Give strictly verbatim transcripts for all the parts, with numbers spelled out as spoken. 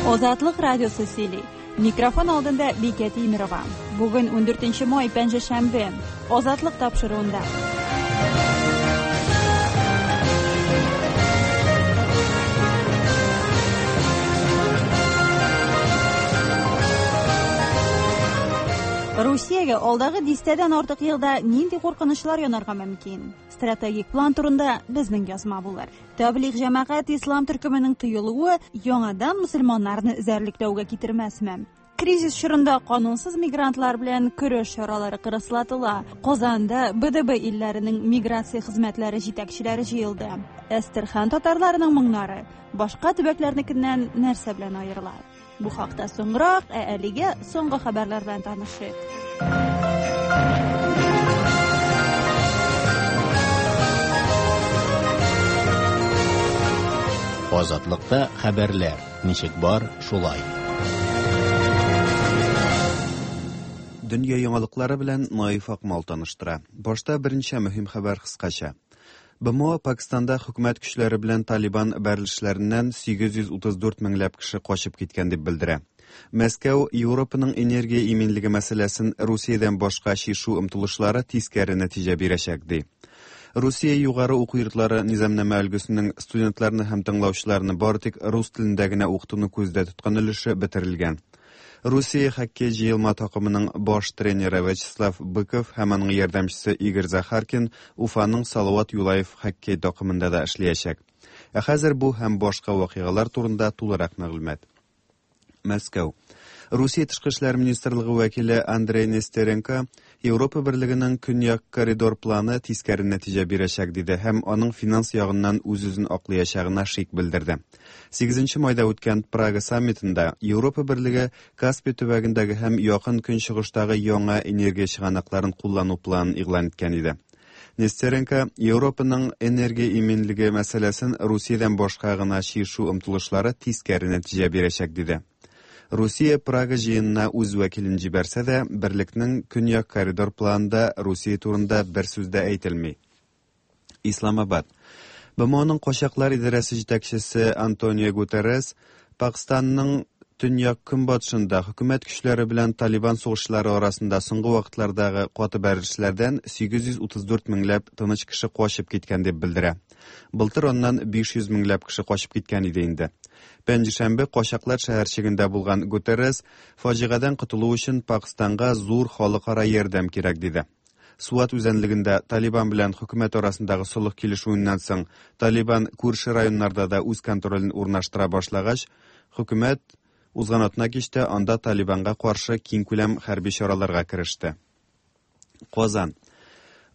Азатлык радиосы сөйли. Микрофон алдында Бикә Тимирова. Бүген ундүртенче май, пәнҗешәмбе. Азатлык тапшыруында. Русиягә алдагы дистәдән артык елда нинди куркынычлар янарга мөмкин? Стратегик план турында безнең язма булыр. Таблиг җәмәгать ислам төркеменең тыелуы яңадан мөселманнарны эзәрлекләүгә китермәсме? Кризис чорында канунсыз мигрантлар белән көрәш чаралары кырыслатыла. Казанда Б Д Б илләренең миграция хезмәтләре җитәкчеләре җыелды. Әстерхан татарларының моңнары башка төбәкләрнекеннән нәрсә белән аерыла? Бу хакта соңрак, ә әлегә соңгы хәбәрләр белән танышыйк. Азатлыкта хәбәрләр ничек бар, шулай. Дөнья яңалыклары белән Наиф Акмал таныштыра. Башта берничә мөһим хәбәр кыскача. Б М О Пакистанда хөкүмәт көчләре белән Талибан бәрелешләреннән сигез йөз утыз дүрт меңләп кеше качып киткән дип белдерә. Мәскәү Европаның энергия иминлеге мәсьәләсен Русиядән башка чишү омтылышлары тискәре нәтиҗә бирәчәк ди. Русия югары уку йортлары низамнамә өлгесенең студентларны һәм тыңлаучыларны бары тик рус телендә генә укытуны күздә тоткан өлеше бетерелгән. Русия хоккей җыелма такымының баш тренеры Вячеслав Быков һәм аның ярдәмчесе Игорь Захаркин Уфаның Салават Юлаев хоккей такымында да эшләячәк. Ә хәзер бу һәм башка вакыйгалар турында тулырак мәгълүмат. Мәскәү. Русия тышкы эшләр министрлыгы вәкиле Андрей Нестеренко Европа берлегенең көньяк коридор планы тискәре нәтиҗә бирәчәк диде һәм аның финанс ягыннан үз-үзен аклаячагына шик белдерде. Сигезенче майда үткән Прага саммитында Европа берлеге Каспий төбәгендәге һәм якын көнчыгыштагы яңа энергия чыганакларын куллану планын игълан иткән иде. Нестеренко Европаның энергия иминлеге мәсьәләсен Русиядән башка гына чишү омтылышлары тискәре нәтиҗә бирәчәк диде. Русия Прага җыенына үз вәкилен җибәрсә дә, берлекнең көньяк коридор планында Русия турында бер сүз дә әйтелми. Исламабад. Б М Оның качаклар идарәсе җитәкчесе Антонио Гутеррес Пакистанның төньяк көнбатышында хөкүмәт көчләре белән Талибан сугышчылары арасында соңгы вакытлардагы каты бәрелешләрдән сигез йөз утыз дүрт меңләп тыныч кеше качып киткән дип белдерә. Былтыр аннан биш йөз меңләп кеше качып киткән иде инде. Пәнҗешәмбе качаклар шәһәрчегендә булган Гутеррес фаҗигадән котылу өчен Пакистанга зур халыкара ярдәм кирәк диде. Суат үзәнлегендә Талибан белән хөкүмәт арасындагы солых килешүеннән соң Талибан күрше районнарда да үз контролен урнаштыра башлагач, хөкүмәт узган атна кичтә анда Талибанга каршы киңкүләм хәрби чараларга кереште. Казан.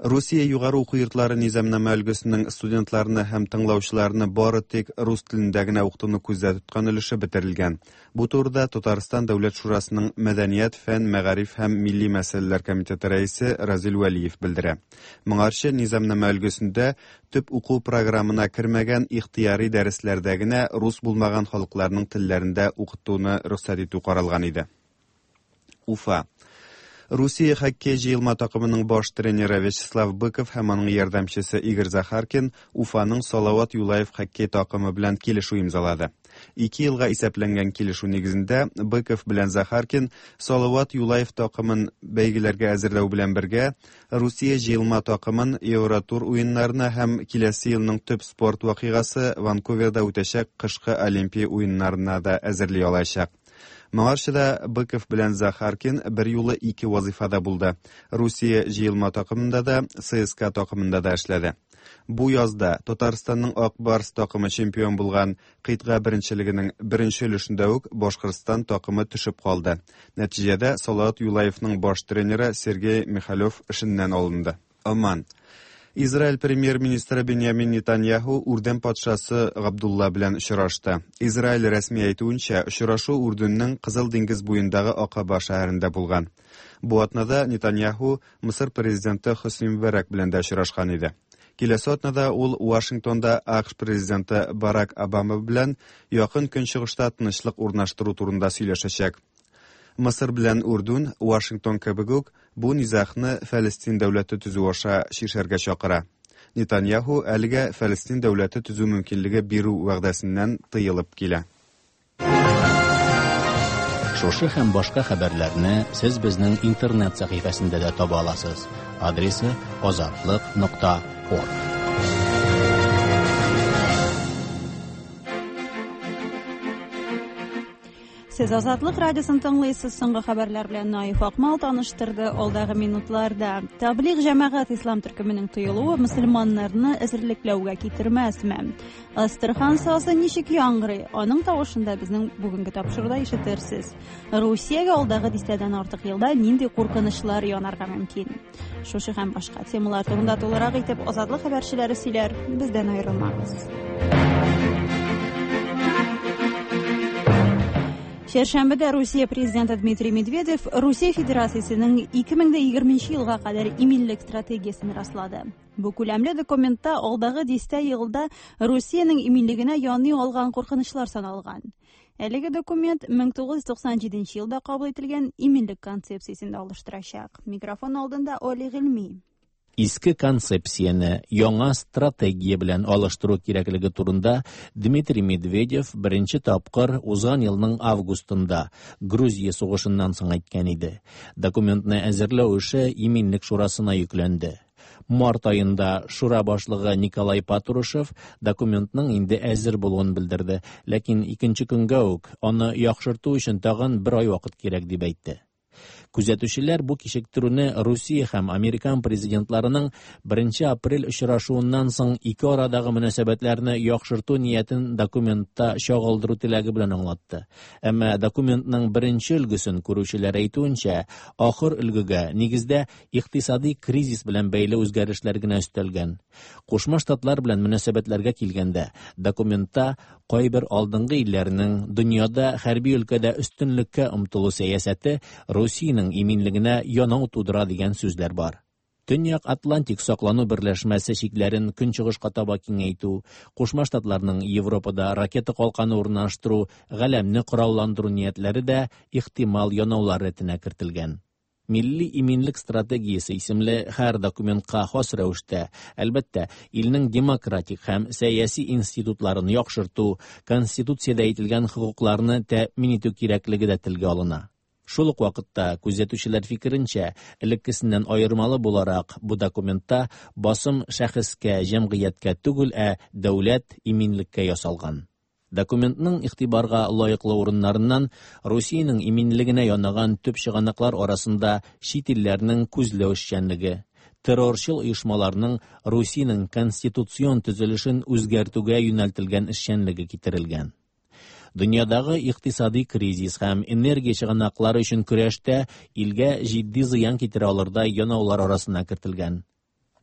Русия югары уку йортлары низамнамә өлгесенең студентларны һәм тыңлаучыларны бары тик рус телендә генә укытуны күздә тоткан өлеше бетерелгән. Бу турыда Татарстан Дәүләт Шурасының Мәдәният, фән, мәгариф һәм милли мәсьәләләр комитеты рәисе Разил Вәлиев белдерә. Моңарчы низамнамә өлгесендә төп уку программына кермәгән ихтыяри дәресләрдә генә рус булмаган халыкларның телләрендә укытуны рөхсәт итү каралган иде. Уфа. Русия хоккей җыелма такымының баш тренеры Вячеслав Быков һәм аның ярдәмчесе Игорь Захаркин Уфаның Салават Юлаев хоккей такымы белән килешү имзалады. Ике елга исәпләнгән килешү нигезендә Быков белән Захаркин Салават Юлаев такымын бәйгеләргә әзерләү белән бергә Русия җыелма такымын Евротур уеннарына һәм киләсе елның төп спорт вакыйгасы Ванкуверда үтәчәк кышкы Олимпия уеннарына да әзерли алачак. Моңарчы да Быков белән Захаркин бер юлы ике вазифада булды. Русия җыелма такымында да, Ц С К такымында да эшләде. Бу язда Татарстанның Ак Барс такымы чемпион булган кыйтга беренчелегенең беренче өлешендә үк Башкортстан такымы төшеп калды. Нәтиҗәдә Салават Юлаевның баш тренеры Сергей Михалев эшеннән алынды. Оман. Израиль премьер-министры Беньямин Нетаньяху Үрдүн патшасы Габдулла белән очрашты. Израиль рәсми әйтүенчә, очрашу Үрдүннең Кызыл диңгез буендагы Акаба шәһәрендә булган. Бу атнада Нетаньяху Мысыр президенты Хөсни Мөбарәк белән дә очрашкан иде. Киләсе атнада ул Вашингтонда А К Ш президенты Барак Обама белән якын көнчыгышта тынычлык урнаштыру турында сөйләшәчәк. Мысыр белән Үрдүн, Вашингтон кебек үк бу низагны Фәлестин дәүләте төзү аша чишәргә чакыра. Нетаньяху әлегә Фәлестин дәүләте төзү мөмкинлеге бирү вәгъдәсеннән тыелып килә. Шушы һәм башка хәбәрләрне сез безнең интернет сәхифәсендә дә таба аласыз. Адресы озатлык нокта орг. Сез Азатлык радиосын тыңлыйсыз. Соңгы хәбәрләр белән Наиф Акмал таныштырды. Алдагы минутларда Таблигъ җәмәгать ислам төркеменең тыелуы мөселманнарны әзерлекләүгә китермәсме? Әстерхан сазы ничек яңгырый? Аның тавышын да безнең бүгенге тапшыруда ишетерсез. Русиягә алдагы дистәдән артык елда нинди куркынычлар янарга мөмкин? Шушы һәм башка темалар турында тулырак итеп Азатлык хәбәрчеләре сөйләр. Бездән аерылмагыз. Чәршәмбедә Русия президенты Дмитрий Медведев Русия Федерациясенең ике мең егерменче елга кадәр иминлек стратегиясен раслады. Бу күләмле документта алдагы дистә елда Русиянең иминлегенә яный алган куркынычлар саналган. Әлеге документ мең тугыз йөз туксан җиденче елда кабул ителгән иминлек концепциясен алыштырачак. Микрофон алдында Оли Гыйльми. Иске концепцияне яңа стратегия белән алыштыру кирәклеге турында Дмитрий Медведев беренче тапкыр узган елның августында Грузия сугышыннан соң әйткән иде. Документны әзерләү эше Иминлек шурасына йөкләнде. Март айында шура башлыгы Николай Патрушев документның инде әзер булуын белдерде, ләкин икенче көнгә үк аны яхшырту өчен тагын бер ай вакыт кирәк дип әйтте. Күзәтүчеләр бу кичектерүне Русия һәм Американ президентларының беренче апрель очрашуыннан соң ике арадагы мөнәсәбәтләрне яхшырту ниятен документта чагылдыру теләге белән аңлатты. Әмма документның беренче өлгесен күрүчеләр әйтүенчә, ахыр өлгегә нигездә икътисади кризис белән бәйле үзгәрешләр генә өстәлгән. Кушма Штатлар белән мөнәсәбәтләргә килгәндә, документта кайбер алдынгы илләрнең дөньяда хәрби өлкәдә өстенлеккә омтылу сәясәте Русиянең иминлегенә янау тудыра дигән сүзләр бар. Төньяк Атлантик саклану берләшмәсе чикләрен көнчыгышка таба киңәйтү, Кушма Штатларның Европада ракета калканы урнаштыру, галәмне коралландыру ниятләре дә ихтимал янаулар рәтенә кертелгән. Милли иминлек стратегиясе исемле һәр документка хас рәвештә, әлбәттә, илнең демократик һәм сәяси институтларын яхшырту, конституциядә әйтелгән хокукларны тәэмин итү кирәклеге дә телгә алына. Шул ук вакытта күзәтүчеләр фикеренчә, элеккесеннән аермалы буларак, бу документта басым шәхескә, җәмгыятькә түгел, ә дәүләт иминлеккә ясалган. Документның игътибарга лаеклы урыннарыннан Русиянең иминлегенә янаган төп чыганаклар арасында чит илләрнең күзләү эшчәнлеге, террорчыл оешмаларның Русиянең конституцион төзелешен үзгәртүгә юнәлтелгән эшчәнлеге китерелгән. Дөньядагы икътисади кризис һәм энергия чыганаклары өчен көрәштә илгә җитди зыян китерә алырдай янаулар арасына кертелгән.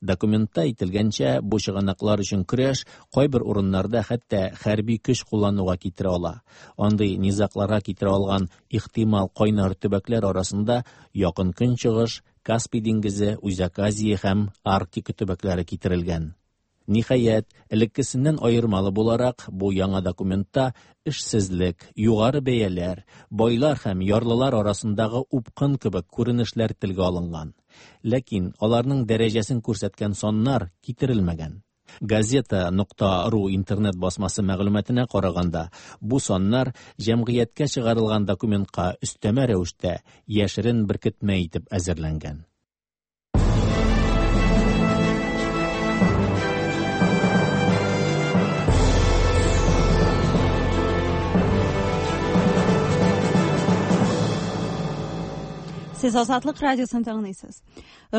Документта әйтелгәнчә, бу чыганаклар өчен көрәш кайбер урыннарда хәтта хәрби көч куллануга китерә ала. Андый низагларга китерә алган ихтимал кайнар төбәкләр арасында Якын Көнчыгыш, Каспий диңгезе, Үзәк Азия һәм Арктика төбәкләре китерелгән. Ниһаять, элеккесеннән аермалы буларак, бу яңа документта эшсезлек, югары бәяләр, байлар һәм ярлылар арасындагы упкын кебек күренешләр телгә алынган. Ләкин аларның дәрәҗәсен күрсәткән саннар китерелмәгән. Газета нокта ру интернет басмасы мәгълүматына караганда, бу саннар җәмгыятькә чыгарылган документка өстәмә рәвештә яшерен беркетмә итеп әзерләнгән. Сез Азатлык радиосын тыңлыйсыз.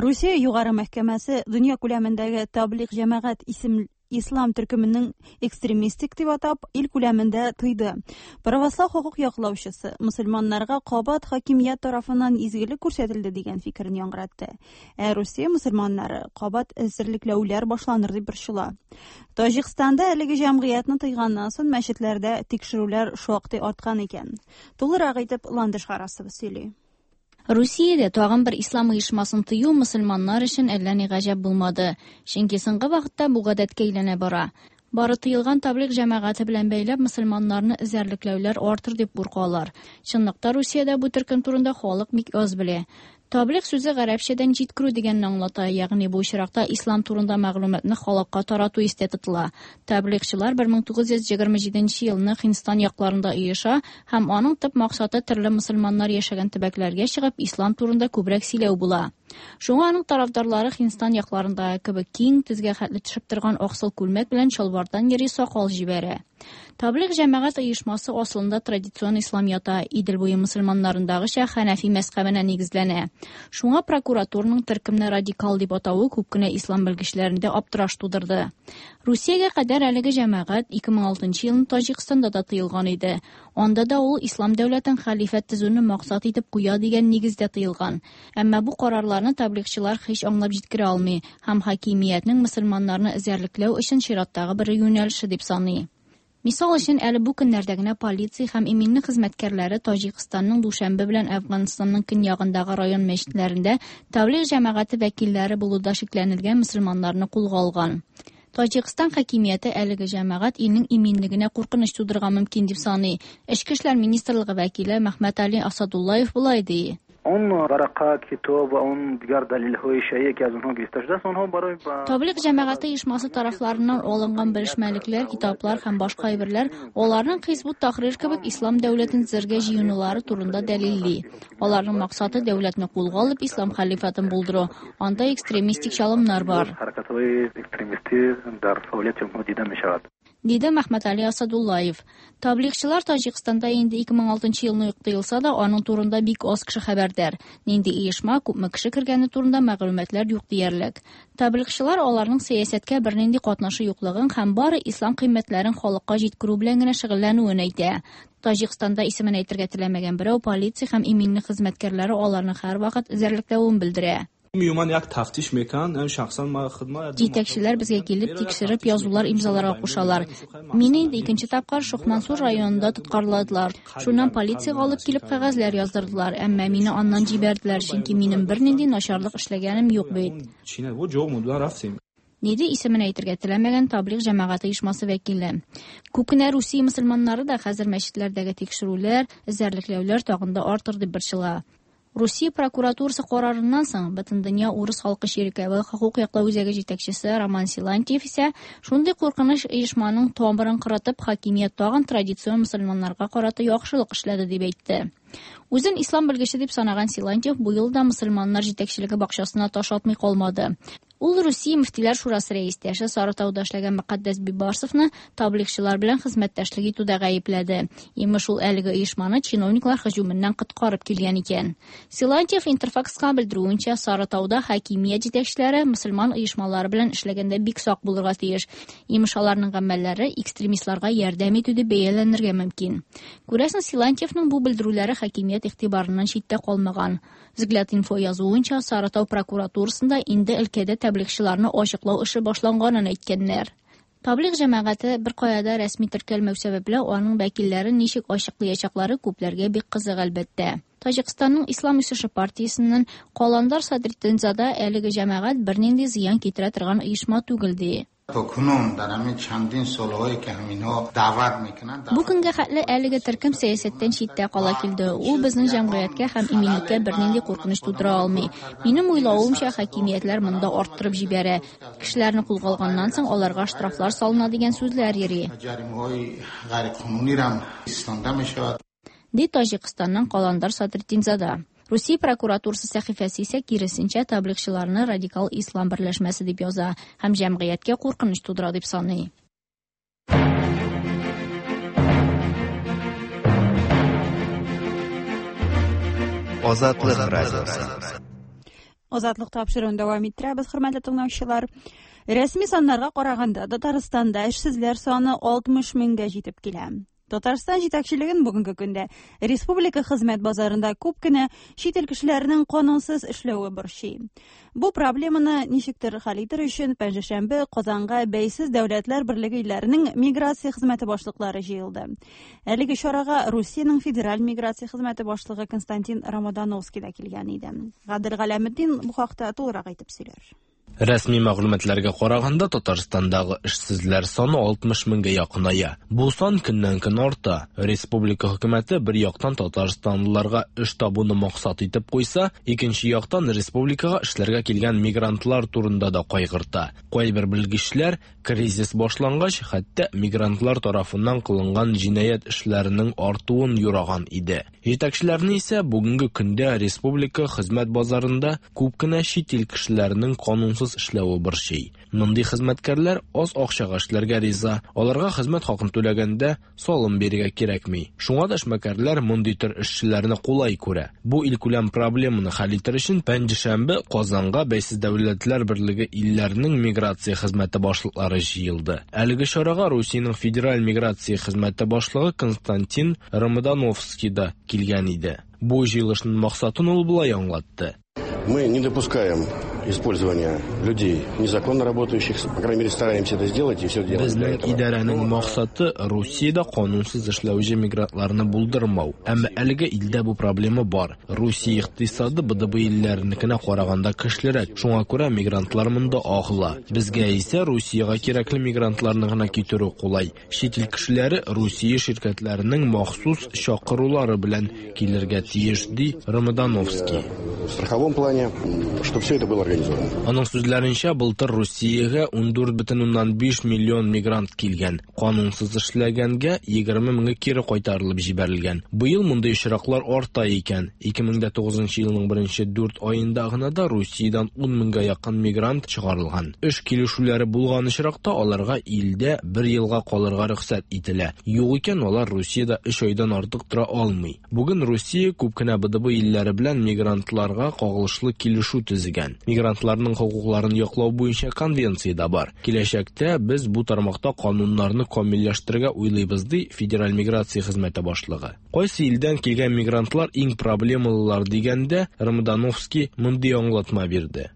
Русия югары мәхкәмәсе дөнья күләмендәге Таблигъ җәмәгать исем ислам төркеменең экстремистик дип атап, ил күләмендә тыйды. Православ хокук яклаучысы мөселманнарга кабат хакимият тарафыннан изгелек күрсәтелде дигән фикерен яңгыратты. Ә Русия мөселманнары кабат әзерлекләүләр башланыр дип борчыла. Таҗикстанда әлеге җәмгыятьне тыйганнан соң мәчетләрдә тикшерүләр шактый арткан икән. Тулырак итеп Ландыш Харасова сөйли. Русиядә тагын бер ислам оешмасын тыю мөселманнар өчен әллә ни гаҗәп булмады. Чөнки соңгы вакытта бу гадәткә әйләнә бара. Бары тыелган таблигъ җәмәгате белән бәйләп мөселманнарны эзәрлекләүләр артыр дип куркалар. Чынлыкта Русиядә бу төркем турында халык бик аз белә. Таблиг сүзе гарәпчәдән җиткерү дигәнне аңлата, ягъни бу очракта ислам турында мәгълүматны халыкка тарату истә тотыла. Таблигчылар бер мең тугыз йөз егерме җиденче елны Һиндстан якларында оеша һәм аның төп максаты төрле мөселманнар яшәгән төбәкләргә чыгып ислам турында күбрәк сөйләү була. Шуңа аның тарафдарлары Һиндстан якларындагы кебек киң, тезгә хәтле төшеп торган аксыл күлмәк белән чалбардан йөри, сакал җибәрә. Таблиг җәмәгать оешмасы асылында традицион ислам ята, Идел буе мөселманнарындагыча Хәнәфи мәзһәбенә нигезләнә. Шуңа прокуратураның төркемне радикал дип атавы күп кенә ислам белгечләрендә аптыраш тудырды. Русиягә кадәр әлеге җәмәгать ике мең алтынчы елны Таҗикстанда да тыелган иде. Анда да ул ислам дәүләтен хәлифәт төзүне максат итеп куя дигән нигездә тыелган. Әмма бу карарларны таблигчылар һич аңлап җиткерә алмый һәм хакимиятнең мөселманнарны эзәрлекләү өчен чираттагы бер юнәлеше дип саный. Мисал өчен, әле бу көннәрдә генә полиция һәм иминлек хезмәткәрләре Таҗикстанның Душанбе белән Әфганстанның көньягындагы район мәчетләрендә таблиг җәмәгате вәкилләре булуда шикләнелгән мөселманнарны кулга алган. Таҗикстан хакимияте әлеге җәмәгать илнең иминлегенә куркыныч тудырырга мөмкин дип саный. Эчке эшләр министрлыгы вәкиле Мәхмәт Али Асадуллаев болай ди. Он варака, китоб, он дигәр дәлилҳои шайе ки аз онҳо гирифта шудааст, онҳо барои Таблиг җәмәгате оешмасы тарафларыннан алынган белешмәлекләр, китаплар һәм башка әйберләр аларның Хизбут Тахрир кебек ислам дәүләтен төзергә җыенулары турында дәлилли. Аларның максаты дәүләтне кулга алып ислам хәлифатын булдыру. Анда экстремистик чалымнар бар. Ҳаракатҳои экстремистӣ дар фаъолияти онҳо дида мешавад. Диде Мәхмәт Али Асадуллаев. Таблигчылар Таҗикстанда инде ике мең алтынчы елны ук тыелса да, аның турында бик аз кеше хәбәрдар. Нинди оешма, күпме кеше кергәне турында мәгълүматлар юк диярлек. Таблигчылар аларның сәясәткә бернинди катнашы юклыгын һәм бары ислам кыйммәтләрен халыкка җиткерү белән генә шөгыльләнүен әйтә. Таҗикстанда исемен әйтергә теләмәгән берәү полиция һәм иминлек хезмәткәрләре аларны һәрвакыт эзәрлекләвен белдерә. Миюман як тафтиш мекан, һәм шәхсән ма хидмат Җитәкчеләр безгә килеп тикшереп язулар имзаларга кушалар. Мине инде икенче тапкыр Шохмансур районында тоткарладылар. Шуннан полициягә алып килеп кәгазьләр яздырдылар, әмма мине аннан җибәрделәр, чөнки минем бернинди начарлык эшләгәнем юк бит. Чинә, бу җоқ мудлар рафтим. Диде исемен әйтергә теләмәгән таблиг җәмәгате оешмасы вәкиле. Күп кенә Русия мөселманнары да хәзер мәчетләрдәге тикшерүләр, эзәрлекләүләр тагын да артыр дип борчыла. Русия прокуратурасы карарыннан соң Бөтендөнья урыс халкы чиркәве хокук яклау үзәге җитәкчесе Роман Силантьев исә шундый куркыныч оешманың тамырын кырытып, хакимият тагын традицион мөселманнарга карата яхшылык эшләде дип әйтте. Үзен ислам белгече дип санаган Силантьев бу елда мөселманнар җитәкчелеге бакчасына таш атмый калмады. Ул Русия мөфтиләр шурасы рәистәше Сарытауда эшләгән Мөкаддәс Бибарсовны таблигчылар белән хезмәттәшлек итүдә гаепләде. Имеш, ул әлеге оешманы чиновниклар һөҗүменнән коткарып килгән икән. Силантьев Интерфакска белдерүенчә, Сарытауда хакимият җитәкчеләре мөселман оешмалары белән эшләгәндә бик сак булырга тиеш. Имеш, аларның гамәлләре экстремистларга ярдәм итү дип бәяләнергә мөмкин. Күрәсең, Силантьевның бу белдерүләре хакимият игътибарыннан читтә калмаган. Взгляд инфо язуынча, Сарытау прокуратурасында инде өлкәдә таблигчыларны ачыклау эше башланганын әйткәннәр. Таблиг җәмәгате бер кая да рәсми теркәлмәү сәбәпле, аның вәкилләрен ничек ачыклаячаклары күпләргә бик кызык әлбәттә. Таҗикстанның Ислам үсеше партиясеннән Каландар Садретдинзада әлеге җәмәгать бернинди зыян китерә торган оешма түгел ди. То кунун дар ҳамин чандин солҳое ки ҳаминҳо даъват мекунанд, Бу көнгә хәтле әлеге төркем сәясәттән читтә кала килде. Ул безнең җәмгыятькә һәм иминлеккә бернинди куркыныч тудыра алмый. Минем уйлавымча, хакимиятләр монда арттырып җибәрә. Кешеләрне кулга алганнан соң аларга штрафлар салына дигән сүзләр йөри. Ҷаримаҳои ғайриқонуниро истонда мешавад. Ди Таҗикстанның Каландар Садретдинзада. Русия прокуратурасы сәхифәсе исә киресенчә таблигчыларны радикал ислам берләшмәсе дип яза һәм җәмгыятькә куркыныч тудыра дип саный. Азатлык радиосы. Азатлык тапшыруын дәвам иттерәбез, хөрмәтле тыңлаучылар. Рәсми саннарга караганда, Татарстанда эшсезләр саны алтмыш меңгә җитеп килә. Татарстан җитәкчелеген бүгенге көндә республика хезмәт базарында күп кенә чит ил кешеләренең канунсыз эшләве борчый. Бу проблеманы ничектер хәл итер өчен пәнҗешәмбе Казанга Бәйсез Дәүләтләр Берлеге илләренең миграция хезмәте башлыклары җыелды. Әлеге чарага Русиянең федераль миграция хезмәте башлыгы Константин Ромодановский да килгән иде. Гадел Галәметдин бу хакта тулырак әйтеп сөйләр. Рәсми мәгълүматларга караганда, Татарстандагы эшсезләр саны алтмыш меңгә якыная. Бу сан көннән-көн арта. Республика хөкүмәте бер яктан татарстанлыларга эш табуны максат итеп куйса, икенче яктан республикага эшләргә килгән мигрантлар турында да кайгырта. Кайбер белгечләр кризис башлангач, хәтта мигрантлар тарафыннан кылынган җинаять эшләренең артуын юраган иде. Җитәкчеләрне исә бүгенге көндә республика хезмәт базарында күп кенә чит ил кешеләренең канунсыз эшләве борчый. Мондый хезмәткәрләр аз акчага эшләргә риза. Аларга хезмәт хакын түләгәндә салым бирергә кирәкми. Шуңа да эшмәкәрләр мондый төр эшчеләрне кулай күрә. Бу илкүләм проблеманы хәл итәр өчен пәнҗешәмбе Казанга Бәйсез Дәүләтләр Берлеге илләренең миграция хезмәте башлыклары җыелды. Әлеге чарага Русиянең федераль миграция хезмәте башлыгы Константин Ромодановский да килгән иде. Бу җыелышның максатын ул болай аңлатты. Мы не допускаем использования людей, незаконно работающих, по крайней мере, стараемся это сделать и все делаем для Безнең этого. идарәнең максаты Русиядә канунсыз эшләүче мигрантларны булдырмау. Әмма әлегә илдә бу проблема бар. Русия икътисады Б Д Б илләренекенә караганда көчлерәк. Шуңа күрә мигрантлар монда агыла. Безгә исә Русиягә кирәкле мигрантларны гына китерү кулай. Чит ил кешеләре Русия ширкәтләренең махсус чакырулары белән килергә тиеш, ди Ромодановский. В страховом плане, чтобы все это было организовано. Аның сүзләренчә, былтыр Русиягә ундүрт бөтен уннан биш миллион мигрант килгән. Канунсыз эшләгәнгә егерме меңе кире кайтарылып җибәрелгән. Быел мондый очраклар арта икән. Ике мең дә тугызынчы елның беренче дүрт аенда гына да Русиядән ун меңгә якын мигрант чыгарылган. Эш килешүләре булган очракта аларга илдә бер елга калырга рөхсәт ителә. Юк икән, алар Русиядә өч айдан артык тора алмый. Бүген Русия күп кенә Б Д Б илләре белән мигрантларга кагылышлы килешү төзегән. Мигрантларның хокукларын яклау буенча конвенция дә бар. Киләчәктә без бу тармакта кануннарны камилләштерергә уйлыйбыз, ди Федераль миграция хезмәте башлыгы. Кайсы илдән килгән мигрантлар иң проблемалылар дигәндә, Ромодановский мондый аңлатма бирде.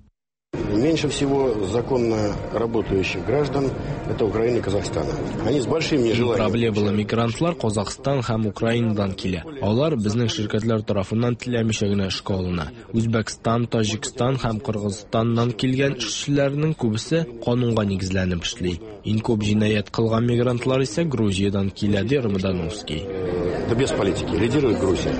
Меньше всего законно работающих граждан это Украина и Казахстана. Они с большим нежеланием. Проблемалы мигрантлар Казахстан һәм Украинадан килә. Алар безнең ширкәтләр тарафыннан теләмичә генә эшкә алына. Үзбәкстан, Таҗикстан һәм Кыргызстаннан килгән эшчеләрнең күбесе канунга нигезләнеп эшли. Иң күп җинаять кылган мигрантлар исә Грузиядән килә, ди Ромодановский. Да без политики. Лидирует Грузия.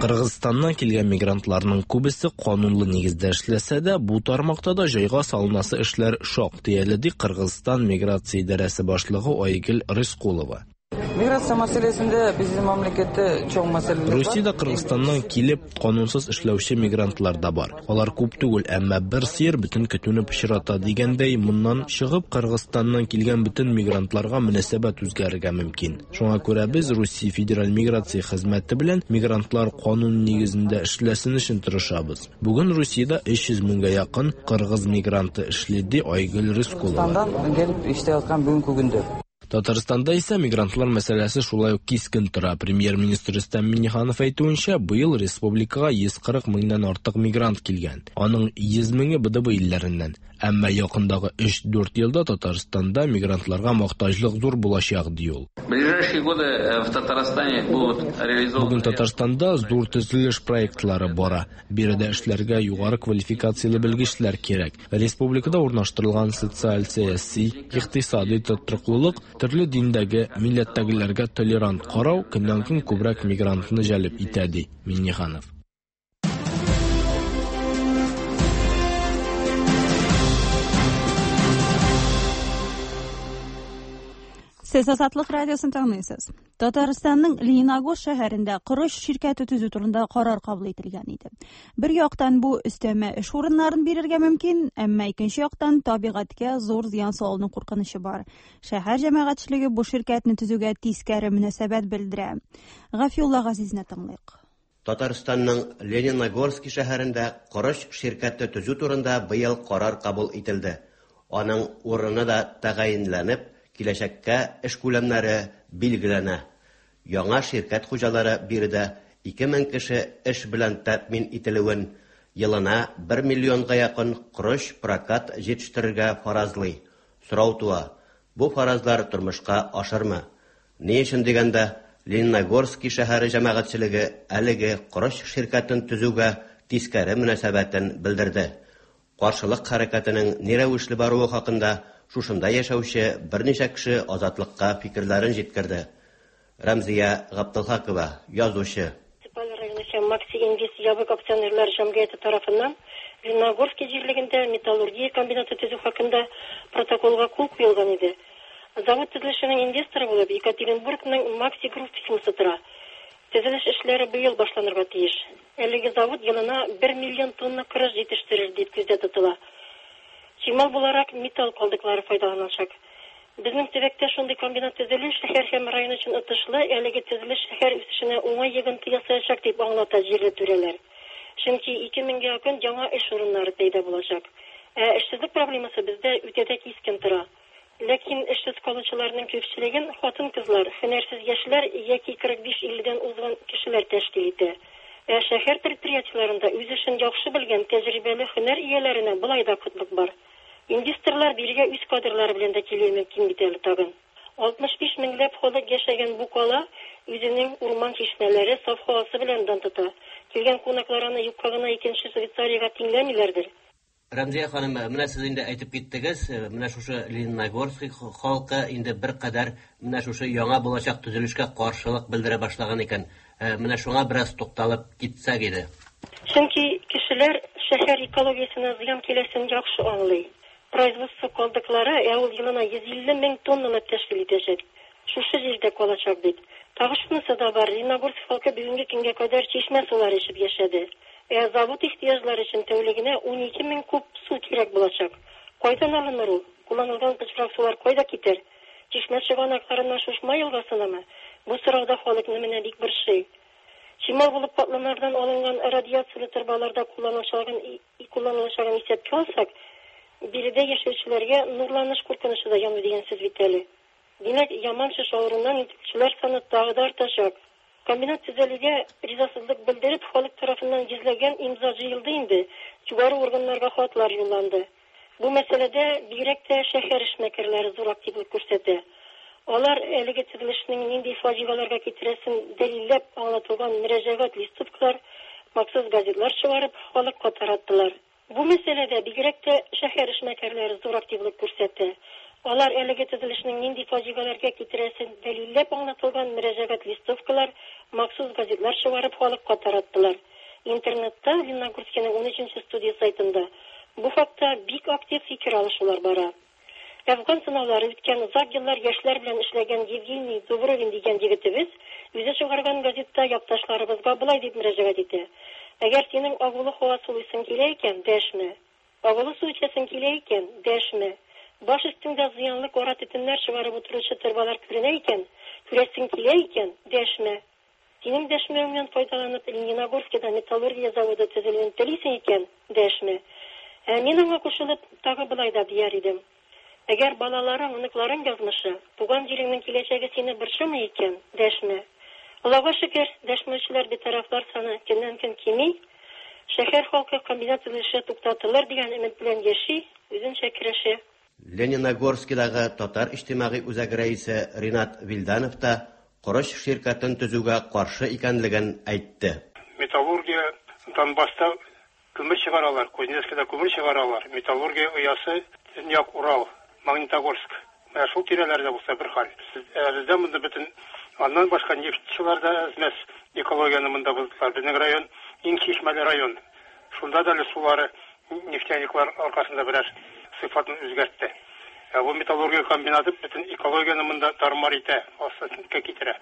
Кыргызстаннан килгән мигрантларның күбесе канунлы нигездә эшләсә дә, бу тармакта да җайга салынасы эшләр шактый әле, ди Кыргызстан миграция идарәсе башлыгы Айгөл Рыскулова. Миграция мәсьәләсендә безнең мәмләкәттә чоң мәсьәләләр бар. Русиядә Кыргызстаннан килеп канунсыз эшләүче мигрантлар да бар. Алар күп түгел, әмма бер сыер бөтен көтүне пычрата дигәндәй, моннан чыгып Кыргызстаннан килгән бөтен мигрантларга мөнәсәбәт үзгәрергә мөмкин. Шуңа күрә без Русия федераль миграция хезмәте белән мигрантлар канун нигезендә эшләсен өчен тырышабыз. Бүген Русиядә өч йөз меңгә якын кыргыз мигранты эшли, ди Айгөл Рыскулова. Кыргызстаннан килеп эшләп аткан бүгенге көндә. Татарстанда исә мигрантлар мәсьәләсе шулай ук кискен тора. Премьер-министр Рөстәм Миңнеханов әйтүенчә, быел республикага йөз кырык меңнән артык мигрант килгән. Аның йөз меңе Б Д Б илләреннән. Әмма якындагы өч-дүрт елда Татарстанда мигрантларга мохтаҗлык зур булачак, ди ул. В ближайшие годы в Татарстане будут реализованы Бүген Татарстанда зур төзелеш проектлары бара. Биредә эшләргә югары квалификацияле белгечләр кирәк. Республикада урнаштырылган социаль, сәяси, икътисади тотрыклылык, төрле диндәге, милләттәгеләргә толерант карау көннән-көн күбрәк мигрантны җәлеп итә, ди Миңнеханов. Сез Азатлык радиосын тыңлыйсыз. Татарстанның Лениногорск шәһәрендә корыч ширкәте төзү турында карар кабул ителгән иде. Бер яктан бу өстәмә эш урыннарын бирергә мөмкин, әмма икенче яктан табигатькә зур зыян салыну куркынычы бар. Шәһәр җәмәгатьчелеге бу ширкәтне төзүгә тискәре мөнәсәбәт белдерә. Гафиулла Газизне тыңлыйк. Татарстанның Лениногорск шәһәрендә корыч ширкәте төзү турында быел карар кабул ителде. Аның урыны да тәгаенләнеп, киләчәккә эш күләмнәре билгеләнә. Яңа ширкәт хуҗалары биредә ике мең кеше эш белән тәэмин ителүен, елына бер миллионга якын корыч прокат җитештерергә фаразлый. Сорау туа: бу фаразлар тормышка ашырмы? Ни өчен дигәндә, Лениногорск шәһәре җәмәгатьчелеге әлеге корыч ширкәтен төзүгә тискәре мөнәсәбәтен белдерде. Каршылык хәрәкәтенең ни рәвешле баруы хакында шушында яшәүче берничә кеше Азатлыкка фикерләрен җиткерде. Рәмзия Габделхакова, язучы. Муниципаль районы һәм Макси Инвест ябык акционерлар җәмгыяте тарафыннан Лениногорский җирлегендә металлургия комбинаты төзү хакында протоколга кул куелган иде. Завод төзелешенең инвесторы булып Екатеринбургның Макси Групп фирмасы тора. Төзелеш эшләре быел башланырга тиеш. Әлеге завод елына бер миллион тонна корыч җитештерер дип күздә тотыла. Чимал буларак металл калдыклары файдаланылачак. Безнең төбәктә шундый комбинат төзелү шәһәр һәм район өчен отышлы, әлеге төзелеш шәһәр үсешенә уңай йогынты ясаячак дип аңлата җирле түрәләр. Чөнки ике меңгә якын яңа эш урыннары пәйда булачак. Ә эшсезлек проблемасы бездә үтә дә кискен тора. Ләкин эшсез калучыларның күпчелеген хатын-кызлар, һөнәрсез яшьләр яки кырык биш илледән узган кешеләр тәшкил итә. Ә шәһәр предприятиеләрендә үз эшен яхшы белгән тәҗрибәле һөнәр ияләренә болай да кытлык бар. Инвесторлар бирегә үз кадрлары белән дә килүе мөмкин бит әле тагын. алтмыш биш меңләп халык яшәгән бу кала үзенең урман чишмәләре, саф һавасы белән дан тота. Килгән кунаклар аны юкка гына икенче Швейцариягә тиңләмиләрдер. Рәмзия ханым, менә сез инде әйтеп киттегез, менә шушы Лениногорский халкы инде бер кадәр менә шушы яңа булачак төзелешкә каршылык белдерә башлаган икән. Менә шуңа бераз тукталып китсәк иде. Чөнки кешеләр шәһәр экологиясенә зыян киләсен яхшы аңлый. Производство калдыклары ә ул елына йөз илле мең тоннаны тәшкил итәчәк. Шушы җирдә калачак бит. Тагы шунысы да бар, Лениногорск халкы бүгенге көнгә кадәр чишмә сулары эчеп яшәде. Ә завод ихтыяҗлары өчен тәүлегенә ун ике мең куб су кирәк булачак. Кайдан алыныр ул? Кулланылган пычрак сулар кайда китәр? Чишмә чыганакларыннан Шушма елгасынамы? Бу сорауда халыкны менә бик борчый. Чимал булып катламнардан алынган радиацияле торбаларда кулланылачагын кулланылачагын исәпкә алсак, биредә яшәүчеләргә нурланыш куркынычы да яну дигән сүз бит әле. Димәк, яман шеш авыруыннан интегүчеләр саны тагы да артачак. Комбинат төзелүгә ризасызлык белдереп, халык тарафыннан йөзләгән имза җыелды инде, югары органнарга хатлар юлланды. Бу мәсьәләдә бигрәк тә шәһәр эшмәкәрләре зур активлык күрсәтә. Алар әлеге төзелешнең нинди фаҗигаларга китерәсен дәлилләп аңлатылган мөрәҗәгать листовкалар, махсус газетлар чыгарып, халыкка тараттылар. Бу мәсьәләдә бигрәк тә шәһәр эшмәкәрләре зур активлык күрсәтә. Алар әлеге төзелешнең нинди фаҗигаларга китерәсен дәлилләп аңлатылган мөрәҗәгать листовкалар, махсус газетлар чыгарып халыкка тараттылар. Интернетта Лениногорскиның ун өченче студия сайтында бу хакта бик актив фикер алышулар бара. Әфган сынаулары үткән озак еллар яшьләр белән эшләгән Евгений Дубровин дигән егетебез үзе чыгарган газетта якташларыбызга болай дип мөрәҗәгать итә. Әгәр синең агулы һава сулыйсың килә икән, дәшмә. Агулы су эчәсең килә икән, дәшмә. Баш өстеңдә зыянлы кара төтеннәр чыгарып утыручы торбалар күренә икән, күрәсең килә икән, дәшмә. Синең дәшмәвеңнән файдаланып Лениногорскида металлургия заводы төзелүен телисең икән, дәшмә. Ә мин аңа кушылып тагы болай да дияр идем. Әгәр балаларың, оныкларың язмышы, туган җиреңнең киләчәге сине борчымый икән, дәшмә. Аллага шөкер, дәшмәүчеләр, битарафлар саны көннән-көн кими. Шәһәр халкы комбинат төзелеше туктатылыр дигән өмет белән яши, үзенчә көрәшә. Лениногорскидагы Татар иҗтимагый үзәге рәисе Ринат Вилданов та корыч ширкәтен төзүгә каршы икәнлеген әйтте. Металлургия Донбасста күмер чыгаралар, Кузнецкида күмер чыгаралар. Металлургия оясы Төньяк Урал, Магнитогорск. Менә шул тирәләрдә булса бер хәл. Бездә монда бөтен аннан башка нефтьчеләр дә әзмәс экологияне монда боздылар. Безнең район иң чишмәле район. Шунда да әле сулары нефтяниклар аркасында берәр сыйфатын үзгәртте. Ә бу металлургия комбинаты бөтен экологияне монда тармар итә, астына китерә.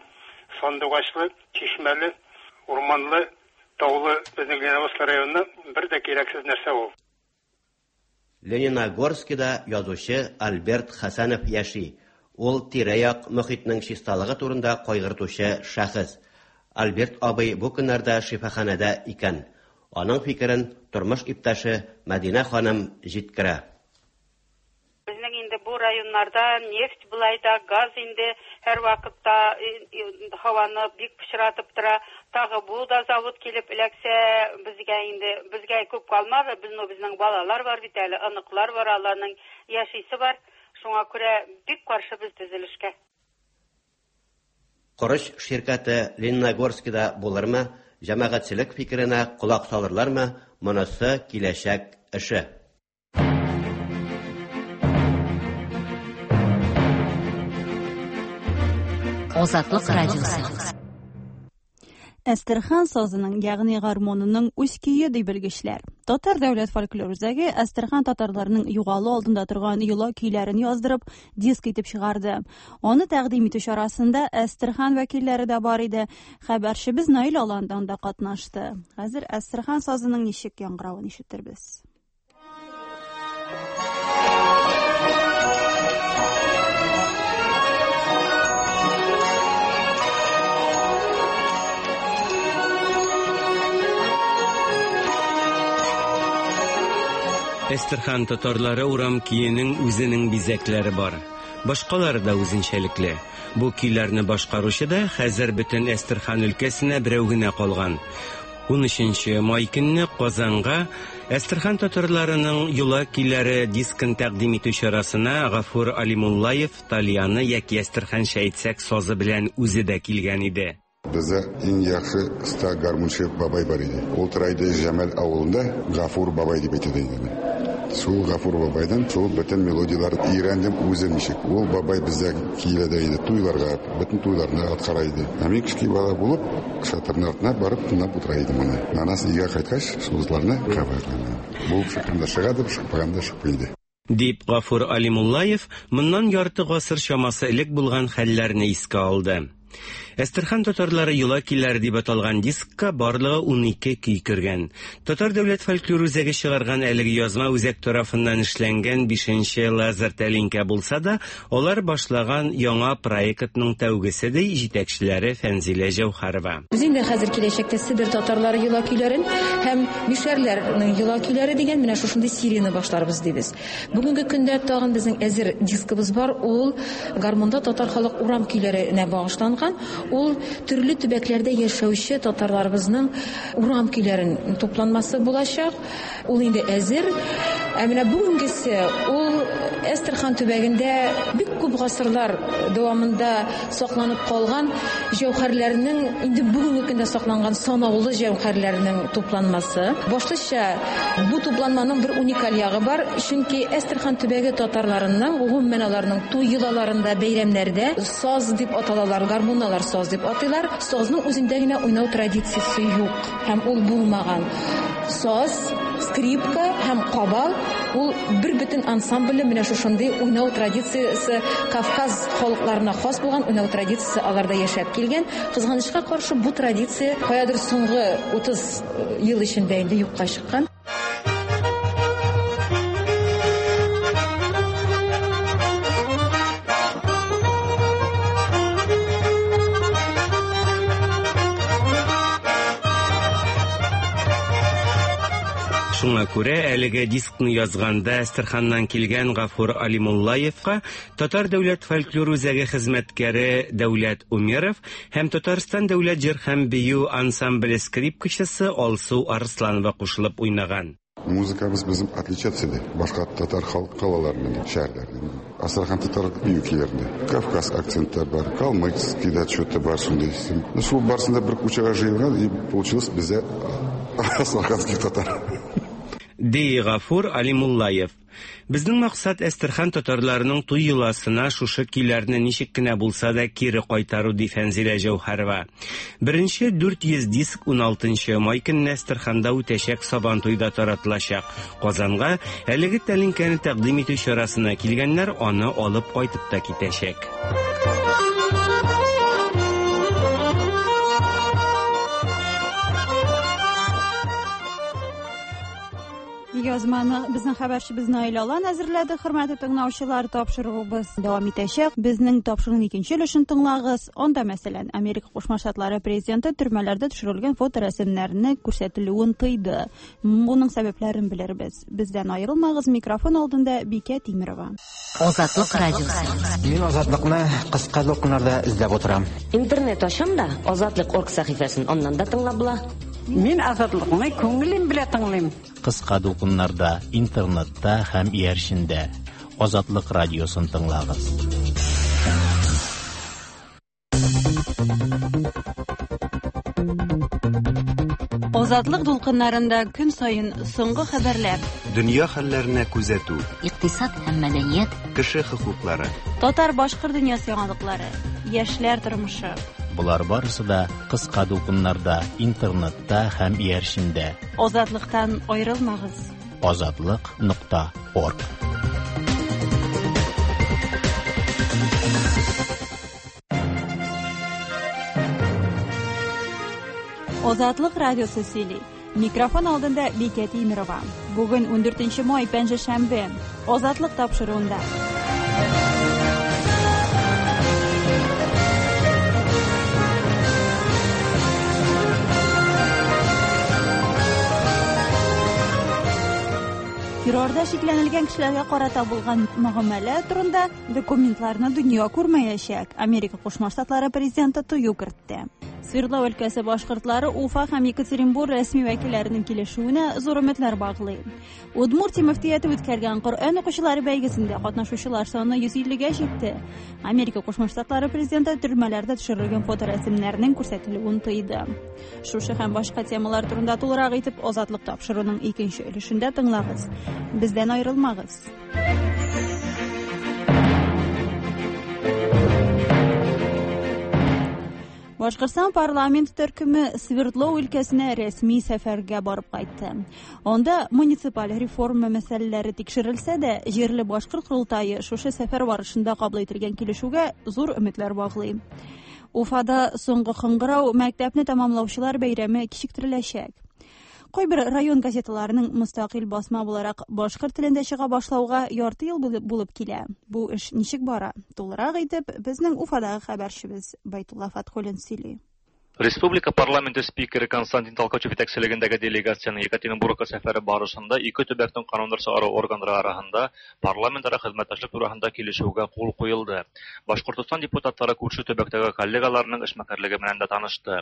Сандугачлы, чишмәле, урманлы, таулы безнең Лениногорск районына бер дә кирәксез нәрсә ул. Лениногорскида язучы Альберт Хәсәнов яши. Ул тирә-як мөхитнең чисталыгы турында кайгыртучы шәхес. Альберт абый бу көннәрдә шифаханәдә икән. Аның фикерен тормыш иптәше Мәдинә ханым җиткерә. Безнең инде бу районнарда нефть былай да, газ инде һәр вакытта һаваны бик пычратып тора. Тагы бу да завод килеп эләксә, безгә инде безгә күп калмады. Безнең безнең балалар бар бит әле, оныклар бар, аларның яшисе бар. Шуңа күрә бик каршы без төзелешкә. Корыч ширкәте Лениногорскида булырмы? Җәмәгатьчелек фикеренә колак салырлармы? Монысы киләчәк эше. Азатлык радиосы. Әстерхан сазының, ягъни гармонының үз көе ди белгечләр. Татар дәүләт фольклор үзәге Әстерхан татарларының югалу алдында торган йола көйләрен яздырып, диск итеп чыгарды. Аны тәкъдим итү чарасында Әстерхан вәкилләре дә бар иде. Хәбәрчебез Наил Алан да анда катнашты. Хәзер Әстерхан сазының ничек яңгыравын ишетербез. Әстерхан татарлары урам көенең үзенең бизәкләре бар. Башкалары да үзенчәлекле. Бу көйләрне башкаручы да хәзер бөтен Әстерхан өлкәсенә берәү генә калган. Унөченче май көнне Казанга Әстерхан татарларының йола көйләре дискын тәкъдим итү чарасына Гафур Алимуллаев тальяны яки әстерханча әйтсәк сазы белән үзе дә килгән иде. Bizde en yaxşı usta garmonçı babay var idi. Ol turaydı Cəməl awılında Гафур бабай дип әйтә иде. Шул Гафур бабайдан шул бөтен мелодиялар өйрәндем үзем ничек. Ул бабай бездә килә дә иде туйларга, бөтен туйларны аткара иде. Ә мин кечкенә бала булып, шатырның артына барып тыңлап утыра идем аны. Анасы өйгә кайткач, шул кабатлана. Булып чыкканда чыга дип, чыкмаганда чыкмый иде. Дип Гафур Алимуллаев моннан ярты гасыр чамасы элек булган хәлләрне искә алды. Әстерхан татарлары йола көйләре дип аталган дискка барлыгы унике көй кергән. Татар дәүләт фольклор үзәге чыгарган әлеге язма үзәк тарафыннан эшләнгән бишенче лазер тәлинкә булса да, алар башлаган яңа проектның тәүгесе ди җитәкчеләре Фәнзилә Җәүһәрова. Без инде хәзер киләчәктә Себер татарлары йола көйләрен һәм мишәрләрнең йола көйләре дигән менә шушындый серияне башларбыз дибез. Бүгенге көндә тагын безнең әзер дискыбыз бар, ул гармонда татар халык урам көйләренә багышланган. Ул төрле төбәкләрдә яшәүче татарларыбызның урам көйләрен тупланмасы булачак. Ул инде әзер. Ә менә бүгенгесе ул Әстерхан төбәгендә бик күп гасырлар дәвамында сакланып калган җәүһәрләрнең инде бүгенге көндә сакланган санаулы җәүһәрләрнең тупланмасы. Башлыча бу тупланманың бер уникаль ягы бар, чөнки Әстерхан төбәге татарларының гомумән аларның туй йолаларында, бәйрәмнәрдә саз дип аталалар, гармоналар саз дип атыйлар. Сазның үзендә генә уйнау традициясе юк һәм ул булмаган. Саз, скрипка һәм кабал ул бер бөтен ансамбле менә шушындый уйнау традициясе Кавказ халыкларына хас булган уйнау традициясе аларда яшәп килгән. Кызганычка каршы бу традиция каядыр соңгы утыз ел эчендә инде юкка чыккан. Шуңа күрә әлеге дискны язганда Әстерханнан килгән Гафур Алимуллаевка Татар дәүләт фольклор үзәге хезмәткәре Дәүләт Умеров һәм Татарстан дәүләт җыр һәм бию ансамбле скрипкачысы Алсу Арсланова кушылып уйнаган. Музыкабыз безнең отличаться иде башка татар халык калаларыннан, шәһәрләреннән. Астрахань татар бию көйләрендә Кавказ акцентлар бар, калмыцкий да что-то бар шундый. Шул барсын да бер кучага җыелган и получилось бездә астраханский татар. Ди Гафур Алимуллаев. Безнең максат Әстерхан татарларының туй йоласына шушы көйләрне ничек кенә булса да кире кайтару, ди Фәнзилә Җәүһәрова. Беренче дүрт йөз диск уналтынчы май көнне Әстерханда үтәчәк Сабантуйда таратылачак. Казанга әлеге тәлинкәне тәкъдим итү чарасына килгәннәр аны алып кайтып та китәчәк. Язманы безнең хәбәрчебез Наил Алан әзерләде. Хөрмәтле тыңлаучылар, тапшыруыбыз дәвам итәчәк. Безнең тапшыруның икенче өлешен тыңлагыз. Анда, мәсәлән, Америка Кушма Штатлары президенты төрмәләрдә төшерелгән фоторәсемнәрне күрсәтелүен тыйды. Моның сәбәпләрен белербез. Бездән аерылмагыз. Микрофон алдында Бикә Тимирова. Азатлык радиосы. Мин Азатлыкны кыска дулкыннарда эзләп утырам. Интернет ачам да Азатлык орг сәхифәсен аннан да тыңлап була. Мин Азатлыкны күңелем белән тыңлыйм. Кыска дулкыннарда, интернетта һәм иярчендә Азатлык радиосын тыңлагыз. Азатлык дулкыннарында көн саен соңгы хәбәрләр, дөнья хәлләренә күзәтү, икътисад һәм мәдәният, кеше хокуклары, татар башкорт дөньясы яңалыклары, яшьләр тормышы. Болар барысы да кыска дулкыннарда, интернетта һәм иярчендә. Азатлыктан аерылмагыз. Азатлык нокта орг. Азатлык радиосы сөйли. Микрофон алдында Бикә Тимирова. Бүген ундүртенче май, пәнҗешәмбе. Азатлык тапшыруында. Террорда шикләнелгән кешеләргә карата булган мөгамәлә турында документларны дөнья күрмәячәк. Америка Кушма Штатлары президенты тыю кертте. Свердлов өлкәсе башкортлары Уфа һәм Екатеринбург рәсми вәкилләренең килешүенә зур өметләр баглый. Удмуртия мөфтияте үткәргән Коръән укучылары бәйгесендә катнашучылар саны йөз иллегә җитте. Америка Кушма Штатлары президенты төрмәләрдә төшерелгән фоторәсемнәрнең күрсәтелүен тыйды. Шушы һәм башка темалар турында тулырак итеп Азатлык тапшыруының икенче өлешендә тыңлагыз. Бездән аерылмагыз. Башкортстан парламент төркеме Свердлов өлкәсенә рәсми сәфәргә барып кайтты. Анда муниципаль реформа мәсьәләләре тикшерелсә дә, җирле башкорт корылтае шушы сәфәр барышында кабул ителгән килешүгә зур өметләр баглый. Уфада соңгы кыңгырау мәктәпне тәмамлаучылар бәйрәме кичектереләчәк. Кайбер район газеталарының мөстәкыйль басма буларак башкорт телендә чыга башлауга ярты ел булып килә. Бу эш ничек бара? Тулырак итеп безнең Уфадагы хәбәрчебез Байтулла Фатхуллин сөйли. Республика парламенты спикеры Константин Толкачев итәкчелегендәге делегациянең Екатеринбургка сәфәре барышында ике төбәкнең кануннар чыгару органнары арасында парламентара хезмәттәшлек турында килешүгә кул куелды. Башкортостан депутатлары күрше төбәктәге коллегаларының эшмәкәрлеге белән дә танышты.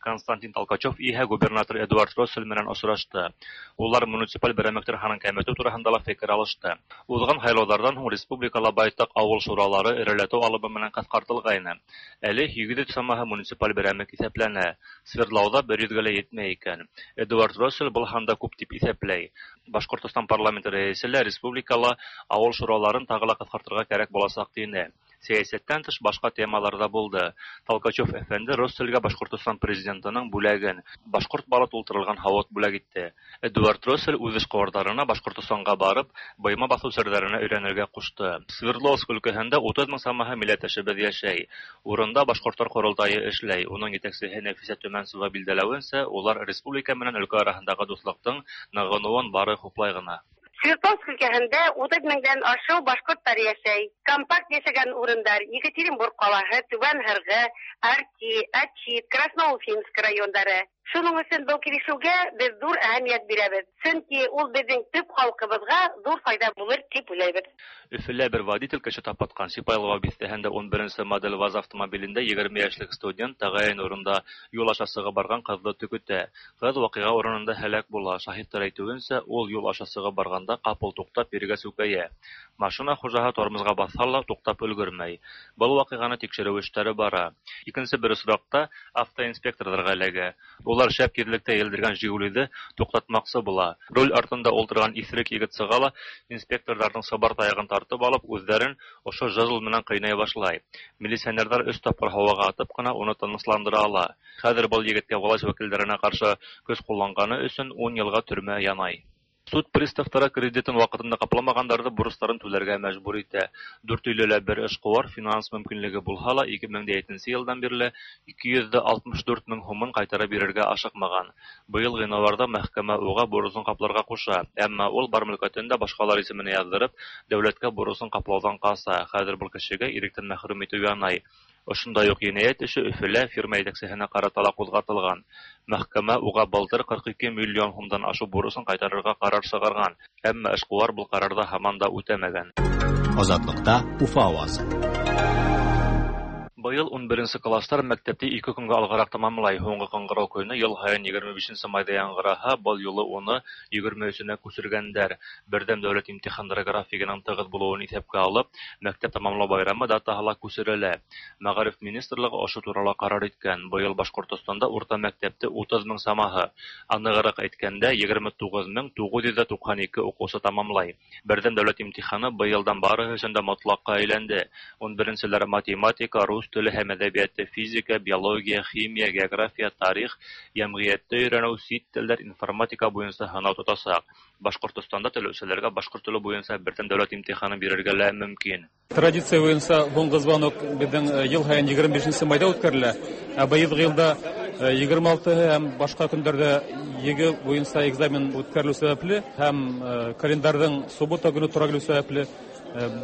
Константин Толкачев иһә губернатор Эдуард Россель белән очрашты. Улар муниципаль берәмлекләр һанын кәметү турында ла фикер алышты. Узган һайлаулардан һуң республикала байтак авыл шуралары эреләтү алымы белән кыскартылгайны. Әле һигез йөз самаһы муниципаль берәмлек исәпләнә. Свердлауда бер йөзгә лә етмәй икән. Эдуард Россель был һанда күп дип иҫәпләй. Башкортостан парламенты рәисе лә республикала авыл шураларын тағы ла ҡыҫҡартырға кәрәк буласаҡ тине. Сәйәсәттән тыш башҡа темалар да булды. Толкачев әфәнде Россельгә Башҡортостан президентының бүләген, башҡорт балы тултырылған һауыт бүләк итте. Эдуард Россель үҙ эшҡыуарҙарына Башҡортостанға барып, быйма баҫыу серҙәренә өйрәнергә ҡушты. Свердловск өлкәһендә утыҙ мең самаһы милләттәшебеҙ йәшәй. Урында башҡорттар ҡоролтайы эшләй. Уның етәксеһе Нәфисә Төмәнсова билдәләүенсә, улар республика менән өлкә араһындағы дуҫлыҡтың нығыныуын бары хуплай ғына. Свердловск өлкәһендә утыҙ меңдән ашыу башҡорттар йәшәй. Компакт йәшәгән урындар Екатеринбург ҡалаһы, Түбән Һырғы, Арти, Ачит, Красноуфимск райондары. Шуның өсөн был килешеүгә беҙ ҙур әһәмиәт бирәбеҙ. Сөнки ул беҙҙең төп халҡыбыҙға ҙур файда булыр тип уйлайбыҙ. Өфөлә бер водитель кеше тапатҡан Сипайлова биҫтәһендә ун беренсе модель ВАЗ автомобилендә егерме йәшлек студент тәғәйен урында юл аша сығып барған ҡыҙҙы төкөтә. Ҡыҙ ваҡиға урынында һәләк була. Шаһиттар әйтеүенсә, ул юл аша сығып барғанда ҡапыл туҡтап ергә сүкәйә. Машина хужаһы тормозға баҫһа ла туҡтап өлгөрмәй. Был ваҡиғаны тикшереү эштәре бара. Икенсе бер осраҡта автоинспекторҙарға эләгә. Улар шәп тиҙлектә елдергән «Жигулиҙе» туҡтатмаҡсы була. Руль артында ултырған иҫерек егет сыға ла инспекторҙарҙың сыбар таяғын тартып алып, үҙҙәрен ошо жезл менән ҡыйнай башлай. Милиционерҙар өс тапҡыр һауаға атып ҡына уны тынысландыра ала. Хәҙер был егеткә власть вәкилдәренә ҡаршы көс ҡулланғаны өсөн ун йылға төрмә янай. Суд приставтары кредитын ваҡытында ҡапламағандарҙы бурыстарын түләргә мәжбүр итә. Дүртөйлөлә бер эшҡыуар финанс мөмкинлеге булһа ла ике мең дә етенсе йылдан бирле ике йөҙ ҙә алтмыш дүрт мең һумын ҡайтарып бирергә ашыҡмаған. Быйыл ғинуарҙа мәхкәмә уға бурысын ҡапларға ҡуша, әммә ул бар мөлкәтен дә башҡалар исеменә яҙҙырып, дәүләткә бурысын ҡаплауҙан ҡаса. Хәҙер был кешегә иректән мәхрүм итеү янай. Ошондай уҡ енәйәт эше Өфөлә фирма етәксеһенә ҡарата ла ҡуҙғатылған. Мәхкәмә уға былтыр ҡырҡ ике миллион һумдан ашыу бурысын ҡайтарырға ҡарар сығарған, әммә эшҡыуар был ҡарарҙы һаман да үтәмәгән. Азатлыҡта Уфа ауазы. Быйыл ун беренсе класстар мәктәпте ике көнгә алғараҡ тамамлай. Һуңғы ҡыңғырау көнө йыл һайын егерме бишенсе майҙа яңғыраһа, был юлы уны егерме өсөнә күсергәндәр. Берҙәм дәүләт имтихандары графигының тығыҙ булыуын иҫәпкә алып, мәктәп тамамлау байрамы датаһы ла күсерелә. Мәғариф министрлығы ошо турала ҡарар иткән. Быйыл Башҡортостанда урта мәктәпте утыҙ мең самаһы, анығыраҡ әйткәндә, егерме туғыҙ мең туғыҙ йөҙ туҡһан ике уҡыусы тамамлай. Берҙәм дәүләт имтиханы быйылдан барыһы өсөн дә мотлаҡҡа әйләнде. Ун беренселәр математика, рус теле һәм әдәбияты, физика, биология, химия, география, тарих, йәмғиәтте өйрәнеү, сит телдәр, информатика буйынса һынау тотасаҡ. Башҡортостанда теләүселәргә башҡорт теле буйынса берҙәм дәүләт имтиханы бирергә лә мөмкин. Традиция буйынса һуңғы звонок беҙҙең йыл һайын егерме бишенсе майҙа үткәрелә. Ә быйылғы йылда егерме алты һәм башҡа көндәрҙә ЕГЭ буйынса экзамен үткәрелеү сәбәпле һәм календарҙың суббота көнө тура килеү сәбәпле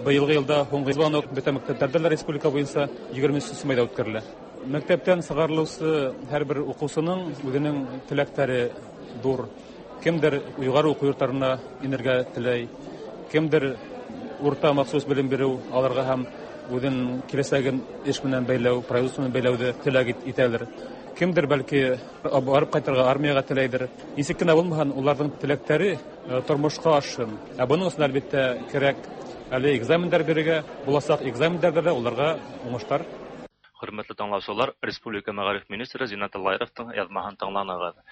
быйылғы йылда һуңғы звонок бөтә мәктәптәрҙә лә республика буйынса егерме өсөнсө майҙа үткәрелә. Мәктәптән сығарылыусы һәр бер уҡыусының үҙенең теләктәре ҙур. Кемдер юғары уҡыу йорттарына инергә теләй, кемдер урта махсус белем биреү алырға һәм үҙен киләсәген эш менән бәйләү, производство менән бәйләүҙе теләк итәлер. Кемдер бәлки барып ҡайтырға армияға теләйҙер. Нисек кенә булмаһын, уларҙың теләктәре тормошҡа ашһын. Ә бының өсөн әлбиттә кәрәк әле экзамендар бирергә, буласаҡ экзамендарҙа ла уларға уңыштар. Хөрмәтле тыңлаусылар, Республика мәғариф министры Зиннәт Аллаировтың яҙмаһын тыңланығыҙ.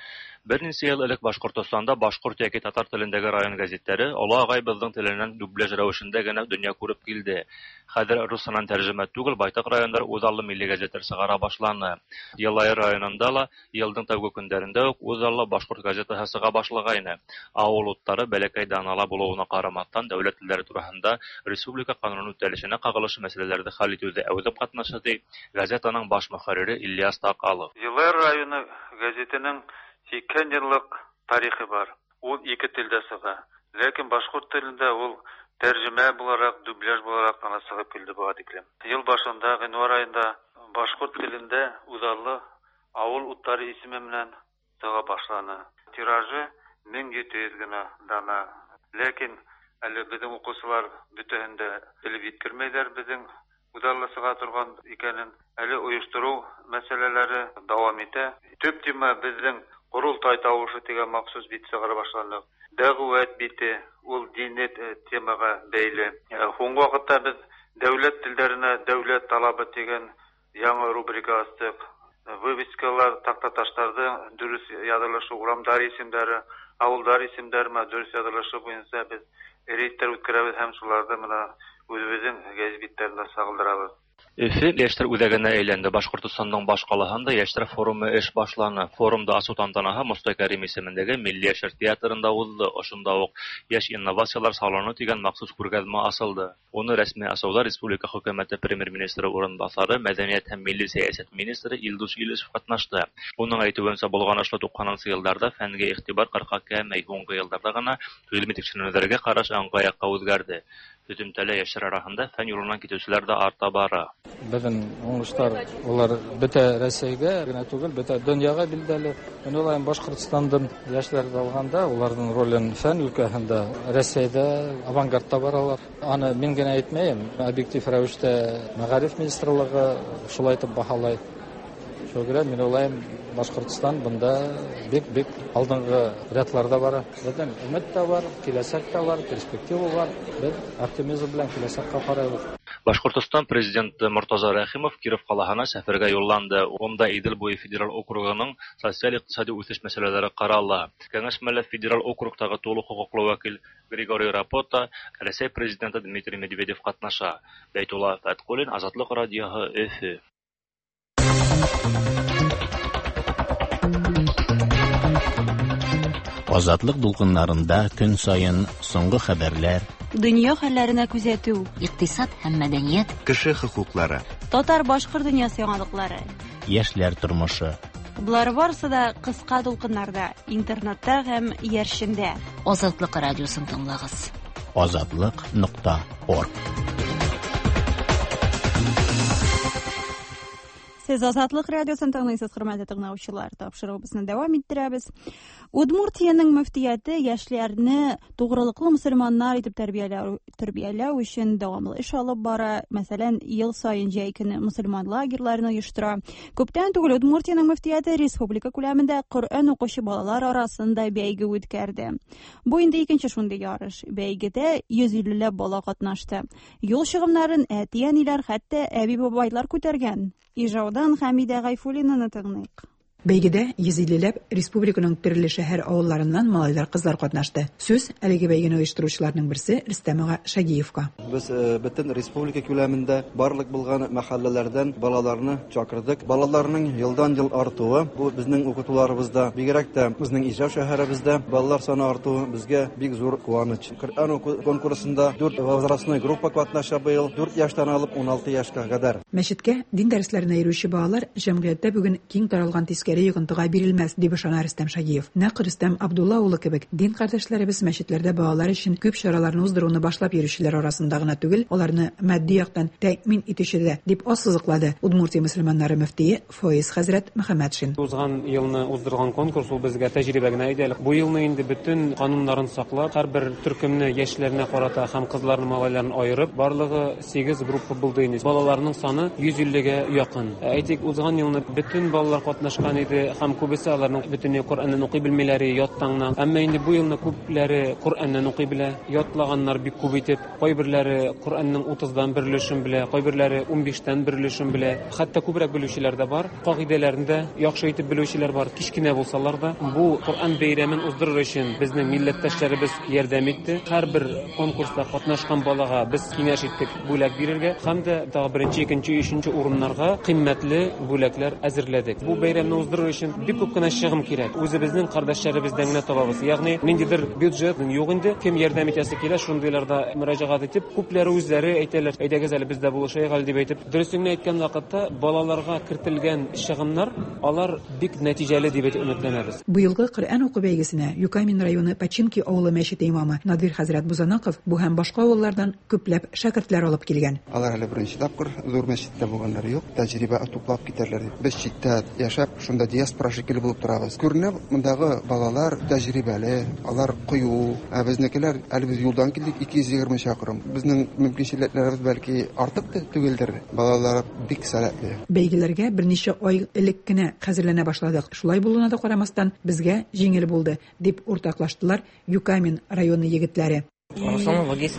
Бер нисә йыл элек Башҡортостанда башҡорт йәки татар телендәге район гәзиттәре оло ағайыбыҙҙың теленән дубляж рәүешендә генә донъя күреп килде. Хәҙер русынан тәржемә түгел, байтаҡ райондар үҙаллы милли гәзиттәр сығара башланы. Йылайыр районында ла йылдың тәүге көндәрендә үк үҙаллы башҡорт газетаһы сыға башлағайны. Ауыл уттары бәләкәй данала булыуына ҡарамаҫтан дәүләт телдәре тураһында республика ҡануны үтәлешенә ҡағылышы мәсьәләләрҙе хәл итеүҙә әүҙем ҡатнаша, ти газетаның баш мөхәррире Ильяс Таҡалов. Йылайыр районы гәзитенең һикһән йыллыҡ тарихы бар. Ул ике телдә сыға. Ләкин башҡорт телендә ул тәржемә булараҡ, дубляж булараҡ ҡына сығып килде быға тиклем. Йыл башында, ғинуар айында башҡорт телендә үҙаллы ауыл уттары исеме менән сыға башланы. Тиражы мең ете йөҙ генә дана. Ләкин әле беҙҙең уҡыусылар бөтәһен дә белеп еткермәйҙәр беҙҙең үҙаллы сыға торған икәнен. Әле ойоштороу мәсьәләләре дауам итә. Төп тема беҙҙең Ҡоролтай тауышы тигән махсус бит сығара башланыҡ. Дәғүәт бите, ул дини темаға бәйле. Һуңғы ваҡытта беҙ дәүләт телдәренә дәүләт талабы тигән яңы рубрика астыҡ. Вывескалар, таҡтаташтарҙың дөрөҫ яҙылышы, урамдар исемдәре, ауылдар исемдәре дөрөҫ яҙылышы буйынса беҙ рейдтар үткәрәбеҙ һәм шуларҙы мына үҙебеҙҙең гәзит биттәрендә сағылдырабыҙ. Өфө йәштәр үҙәгенә әйләнде. Башҡортостандың баш ҡалаһында йәштәр форумы эш башланы. Форумды асыу тантанаһы Мостай Кәрим исемендәге Милли йәштәр театрында уҙҙы. Ошонда уҡ йәш инновациялар салоны тигән махсус күргәҙмә асылды. Уны рәсми асыуҙа республика хөкүмәте премьер-министры урынбаҫары, мәҙәниәт һәм милли сәйәсәт министры Илдус Илишев ҡатнашты. Уның әйтеүенсә, болғанышлы туҡһанынсы йылдарҙа фәнгә иғтибар ҡырҡа кәмәй, һуңғы йылдарҙа ғына ғилми тикшеренеүҙәргә ҡараш ыңғай яҡҡа үҙгәрҙе. Һөҙөмтәлә йәштәр араһында фән юлынан китеүселәр ҙә арта бара. Беҙҙең уңыштар улар бөтә Рәсәйгә генә түгел, бөтә донъяға билдәле. Мин уйлайым, Башҡортостандың йәштәрҙе алғанда уларҙың ролен фән өлкәһендә Рәсәйҙә авангардта баралар. Аны мин генә әйтмәйем, объектив рәүештә мәғариф министрлығы шулай итеп баһалай. Шуға күрә мин уйлайым, Башҡортостан бында бик-бик алдынғы рядларда бара. Беҙҙең өмөт тә бар, киләсәк тә бар, перспектива бар. Беҙ оптимизм белән киләсәккә ҡарайбыҙ. Башҡортостан президенты Мортаза Рәхимов Киров ҡалаһына сәфәргә юлланды. Унда Иҙел буйы федераль округының социаль-иҡтисади үҫеш мәсьәләләре ҡарала. Кәңәшмәлә федераль округтағы тулы хоҡуҡлы вәкил Григорий Рапота, Рәсәй президенты Дмитрий Медведев ҡатнаша. Бәйтулла Фәтҡуллин, Азатлыҡ радиоһы, Өфө. Азатлык дулкыннарында көн саен соңгы хәбәрләр, дөнья хәлләренә күзәтү, икътисад һәм мәдәният, кеше хокуклары, татар-башкорт дөньясы яңалыклары, яшьләр тормышы. Болар барысы да кыска дулкыннарда, интернетта һәм иярчендә. Азатлык радиосын тыңлагыз. Азатлык нокта орг. Сез Азатлык радиосын тыңлыйсыз, хөрмәтле тыңлаучылар. Тапшыруыбызны дәвам иттерәбез. Удмуртиянең мөфтияте яшьләрне тугрылыклы мөселманнар итеп тәрбияләү, тәрбияләү өчен дәвамлы эш алып бара. Мәсәлән, ел саен җәй көне мөселман лагерьларын оештыра. Күптән түгел Удмуртиянең мөфтияте республика күләмендә Коръән укучы балалар арасында бәйге үткәрде. Бу инде икенче шундый ярыш. Бәйгедә йөз иллеләп бала катнашты. Юл чыгымнарын әти-әниләр, хәтта әби-бабайлар күтәргән. Ижаудан Хәмидә Гайфуллинаны тыңлыйк. Бәйгедә йөз иллеләп республиканың төрле шәһәр авылларыннан малайлар, кызлар катнашты. Сүз әлеге бәйгене оештыручыларның берсе Рөстәм ага Шагиевка. Без бөтен республика күләмендә барлык булган мәхәлләләрдән балаларны чакырдык. Балаларның елдан-ел артуы, бу безнең укытуларыбызда, бигрәк тә безнең Ижау шәһәребездә балалар саны артуы безгә бик зур куаныч. Коръән уку конкурсында дүрт возрастной группа катнаша быел, дүрт яшьтән алып ун алты яшькә кадәр. Мәчеткә дин дәресләренә йөрүче балалар җәмгыятьтә бүген киң таралган тискәре йогынтыга бирелмәс, дип ышана Рөстәм Шагиев. Нәкъ Рөстәм Абдулла улы кебек дин кардәшләребез мәчетләрдә балалар өчен күп чараларны уздыруны башлап йөрүчеләр арасында гына түгел, аларны матди яктан тәэмин итүче дә, дип ассызыклады Удмуртия мөселманнары мөфтие Фоиз хәзрәт Мөхәммәтшин. Узган елны уздырган конкурс ул безгә тәҗрибә генә иде. Бу елны инде бөтен кануннарын саклап, һәрбер төркемне яшьләренә карата һәм кызларны, малайларны аерып, барлыгы сигез группа булды инде. Балаларның саны йөз иллегә якын. Әйтик, узган елны бөтен балалар катнашкан иде һәм күбесе аларның бөтенләй Коръәннән укый белмиләре, яттаңнан. Әмма инде бу елны күпләре Коръәннән укый белә, ятлаганнар бик күп итеп, кайберләре Коръәннең утыздан бер өлешен белә, кайберләре унбиштән бер өлешен белә. Хәтта күбрәк белүчеләр дә бар, кагыйдәләрен дә яхшы итеп белүчеләр бар, кечкенә булсалар да. Бу Коръән бәйрәмен уздырыр өчен безнең милләттәшләребез ярдәм итте. Һәрбер конкурста катнашкан балага без киңәш иттек бүләк бирергә һәм дә тагы беренче, икенче, өченче урыннарга кыйммәтле бүләкләр әзерләдек. Бу бәйрәмне уздырыр өчен бик күп кенә чыгым кирәк. Үзебезнең кардәшләребездән генә табабыз. Ягъни ниндидер бюджет юк инде. Кем ярдәм итәсе килә, шундыйларда мөрәҗәгать итеп, күпләре үзләре әйтәләр, әйдәгез әле без дә булышайык әле дип әйтеп. Дөресен әйткән вакытта балаларга кертелгән чыгымнар алар бик нәтиҗәле дип әйтеп өметләнәбез. Быелгы Коръән уку бәйгесенә Юкамин районы Пачинки авылы мәчете имамы Надир хәзрәт Бузанаков бу һәм башка авыллардан күпләп шәкертләр алып килгән. Алар әле беренче тапкыр зур мәчеттә булганнары юк, тәҗрибә туплап китәрләр дип. Без читтә яшәп, шунда диаспора шикелле булып торабыз. Күренә, мондагы балалар тәҗрибәле, алар кыю. Ә безнекеләр әле без юлдан килдек ике йөз егерме чакрым. Безнең мөмкинчелекләребез бәлки артык та түгелдер. Балалар бик сәләтле. Бәйгеләргә берничә ай элек кенә хәзерләнә башладык. Шулай булуына да карамастан, безгә җиңел булды, дип уртаклаштылар Юкамин районы егетләре. Арсланов Вагиз,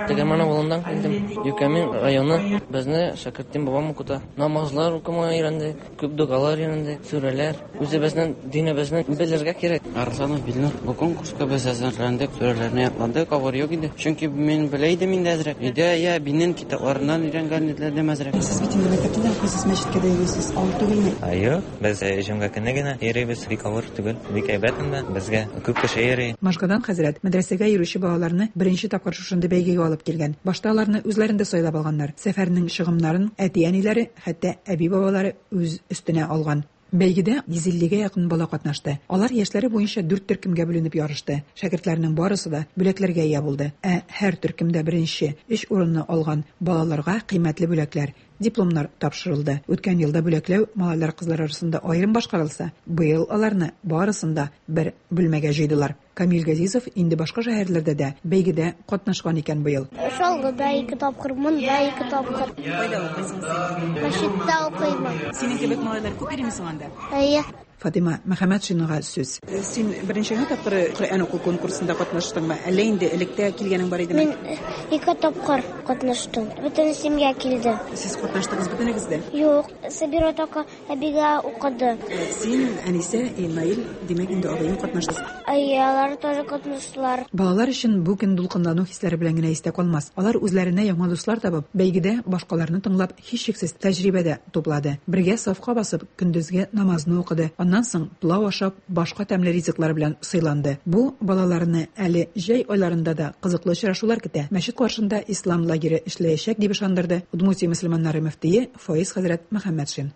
Тегерман авылыннан килдем. Юкамин районы безне шәкерттән бабам укыта. Намазлар укымага өйрәндек, күп догалар өйрәндек, сүрәләр. Үзебезнең динебезне белергә кирәк. Арсланов Билнур, бу конкурска без әзерләндек, сүрәләрне ятладык, авыр юк иде. Чөнки мин белә идем инде әзрәк. Өйдә я бинен китапларыннан өйрәнгән иделәр әзрәк. Сез бит инде мәктәптә дә укыйсыз, мәчеткә дә йөрисез, авыр түгелме? Юк, без җомга көне генә йөрибез, бик авыр түгел, бик әйбәт инде. Безгә күп кеше йөри. Машгадан хәзрәт мәдрәсәгә йөрүче балаларны беренче тапкыр шушындый бәйгегә алып килгән. Башта аларны үзләрендә сайлап алганнар. Сәфәрнең чыгымнарын әти-әниләре, хәтта әби-бабалары үз өстенә алган. Бәйгедә йөз иллегә якын бала катнашты. Алар яшьләре буенча дүрт төркемгә бүленеп ярышты. Шәкертләрнең барысы да бүләкләргә ия булды. Ә һәр төркемдә беренче өч урынны алган балаларга кыйммәтле бүләкләр, дипломнар тапшырылды. Үткән елда бүләкләү малайлар кызлар арасында аерым башкарылса, быел аларны барысын да бер бүлмәгә җыйдылар. Камил Газизов инде башка шәһәрләрдә дә бәйгедә катнашкан икән быел. Шалгыда ике тапкыр, монда ике тапкыр. Кайда укыйсың син? Мәчеттә укыймын. Синең кебек малайлар күп йөриме соң анда? Әйе. Фатима Мөхәммәтшинага сүз. Син беренче генә тапкыр Коръән уку конкурсында катнаштыңмы? Әллә инде электә килгәнең бар идеме? Мин ике тапкыр катнаштым. Бөтен семья килде. Сез катнаштыгыз бөтенегез дә? Юк, Сабира така әбигә укыды. Син, Әнисә, Наил, димәк инде абыең катнашты. Әйе, алар тоже катнаштылар. Балалар өчен бу көн дулкынлану хисләре белән генә истә калмас. Алар үзләренә яңа дуслар табып, бәйгедә башкаларны тыңлап, һичшиксез тәҗрибә дә туплады. Бергә сафка басып, көндезге намазны укыды. Аннан соң пылау ашап, башка тәмле ризыклар белән сыйланды. Бу балаларны әле җәй айларында да кызыклы очрашулар көтә. Мәчет каршында ислам лагере эшләячәк дип ышандырды Удмуртия мөселманнары мөфтие Фоиз хәзрәт Мөхәммәтшин.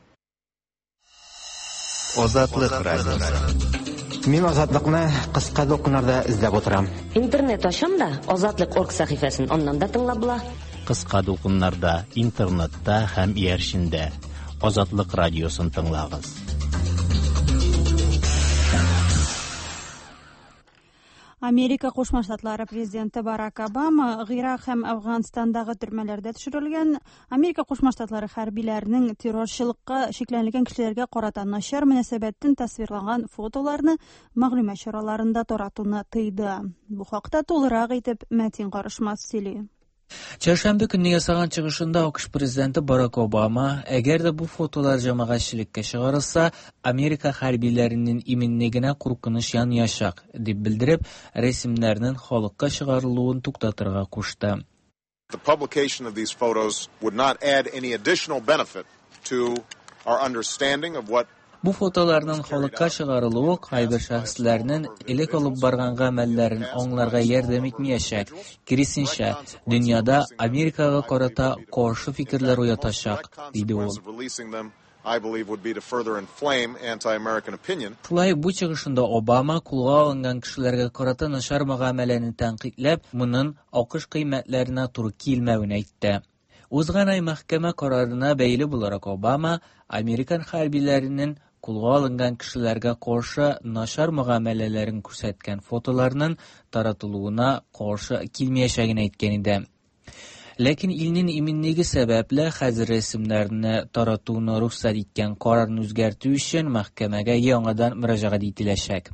Азатлык радиосы. Мин Азатлыкны кыска дулкыннарда эзләп утырам. Интернет ачам да Азатлык орг сәхифәсен аннан да тыңлап була. Кыска дулкыннарда, интернетта һәм иярчендә Азатлык радиосын тыңлагыз. Америка Кушма Штатлары президенты Барак Обама Гыйрак һәм Афганстандагы төрмәләрдә төшерелгән Америка Кушма Штатлары хәрбиләренең террорчылыкка шикләнелгән кешеләргә карата начар мөнәсәбәтен тасвирланган фотоларны мәгълүмат чараларында таратуны тыйды. Бу хакта тулырак итеп Мәтин Карышмас сөйли. Çarşamba көнне ясаган чыгышында А К Ш президенты Барак Обама, әгәр дә бу фотолар җәмәгатьчелеккә чыгарылса, Америка хәрбиләренең иминлегенә куркыныч янаячак, дип белдереп, рәсемнәрнең халыкка чыгарылуын туктатырга кушты. The publication of these photos would not add any additional benefit to our understanding of what Бу фотоларның халыкка чыгарылуы кайбер шәхесләрнең элек алып барган гамәлләрен аңларга ярдәм итмәячәк. Киресенчә, дөньяда Америкага карата каршы фикерләр уятачак, диде ул. I believe would be to further inflame anti-American opinion. Шулай бу чыгышында Обама кулга алынган кешеләргә карата начар мөгамәләне тәнкыйтьләп, моның А К Ш кыйммәтләренә туры килмәвен әйтте. Узган ай мәхкәмә карарына бәйле буларак Обама американ хәрбиләренең кулга алынган кешеләргә каршы начар мөгамәләләрен күрсәткән фотоларның таратылуына каршы килмәячәген әйткән иде. Ләкин илнең иминлеге сәбәпле хәзер рәсемнәрне таратуны рөхсәт иткән карарны үзгәртү өчен мәхкәмәгә яңадан мөрәҗәгать ителәчәк.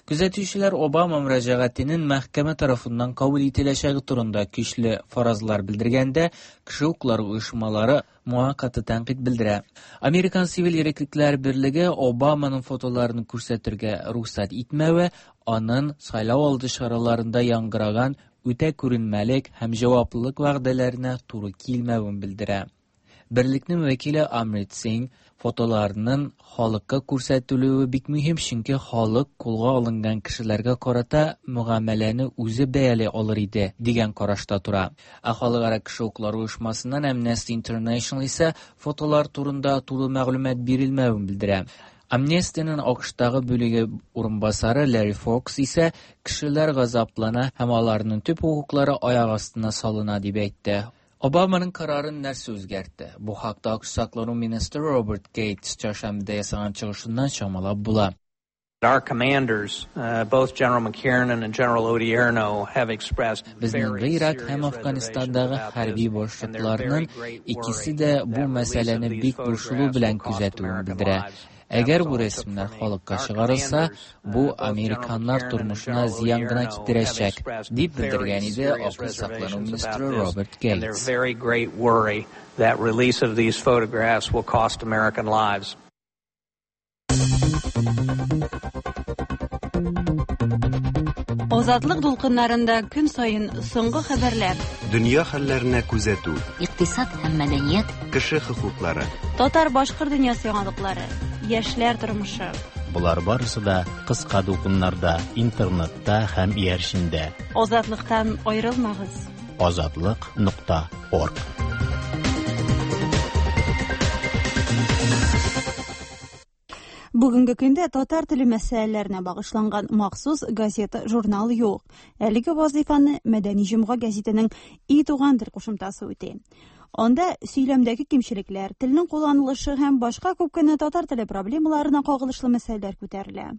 Күзәтүчеләр Обама мөрәҗәгатенең мәхкәмә тарафыннан кабул ителәчәге турында көчле фаразлар белдергәндә, кеше хокуклары оешмалары моңа каты тәнкыйть белдерә. Американ сивил иреклекләр берлеге Обаманың фотоларын күрсәтергә рөхсәт итмәве, аның сайлау алды чараларында яңгыраган үтә күренмәлек һәм җаваплылык вәгъдәләренә туры килмәвен белдерә. Берлекнең вәкиле Амрит Синг фотоларының халыкка күрсәтелүе бик мөһим, чөнки халык кулга алынган кешеләргә карата мөгамәләне үзе бәяли алыр иде дигән карашта тора. Ә халыкара кеше хокуклары оешмасыннан Amnesty International исә фотолар турында тулы мәгълүмат бирелмәвен белдерә. Амнестиянең А К Штагы бүлеге урынбасары Ларри Фокс исә кешеләр газаплана һәм аларның төп хокуклары аяк астына салына дип әйтте. Обаманың карарын нәрсә үзгәртте? Бу хакта А К Ш саклану министры Роберт Гейтс чәршәмбедә ясаган чыгышыннан чамалап була. Our commanders, uh, both General McKiernan and General Odierno, have expressed Безнең very Ирак һәм serious Афганистандағы reservations about хәрби this, and they're башлыкларның very great икесе worry дә бу that release of мәсьәләне these бик борчылу photographs белән will cost күзәтүен American белдерә. lives. Әгәр бу рәсемнәр халыкка чыгарылса, бу американнар тормышына зыян гына китерәчәк, дип белдергән иде А К Ш саклану министры Роберт Гейтс. Very great worry that release of these photographs will cost American lives. Азатлык дулкыннарында көн саен соңгы хәбәрләр. Дөнья хәлләренә күзәтү. Икътисад һәм мәдәният. Кеше хокуклары. Татар-башкорт дөньясы яңалыклары. Яшьләр тормышы. Болар барысы да кыска дулкыннарда, интернетта һәм иярчендә. Азатлыктан аерылмагыз. Азатлык нокта орг. Бүгенге көндә татар теле мәсьәләләренә багышланган махсус газета, журнал юк. Әлеге вазифаны Мәдәни җомга гәзитенең И туган тел кушымтасы үти. Анда сөйләмдәге кимчелекләр, телнең кулланылышы һәм башка күп кенә татар теле проблемаларына кагылышлы мәсьәләләр күтәрелә.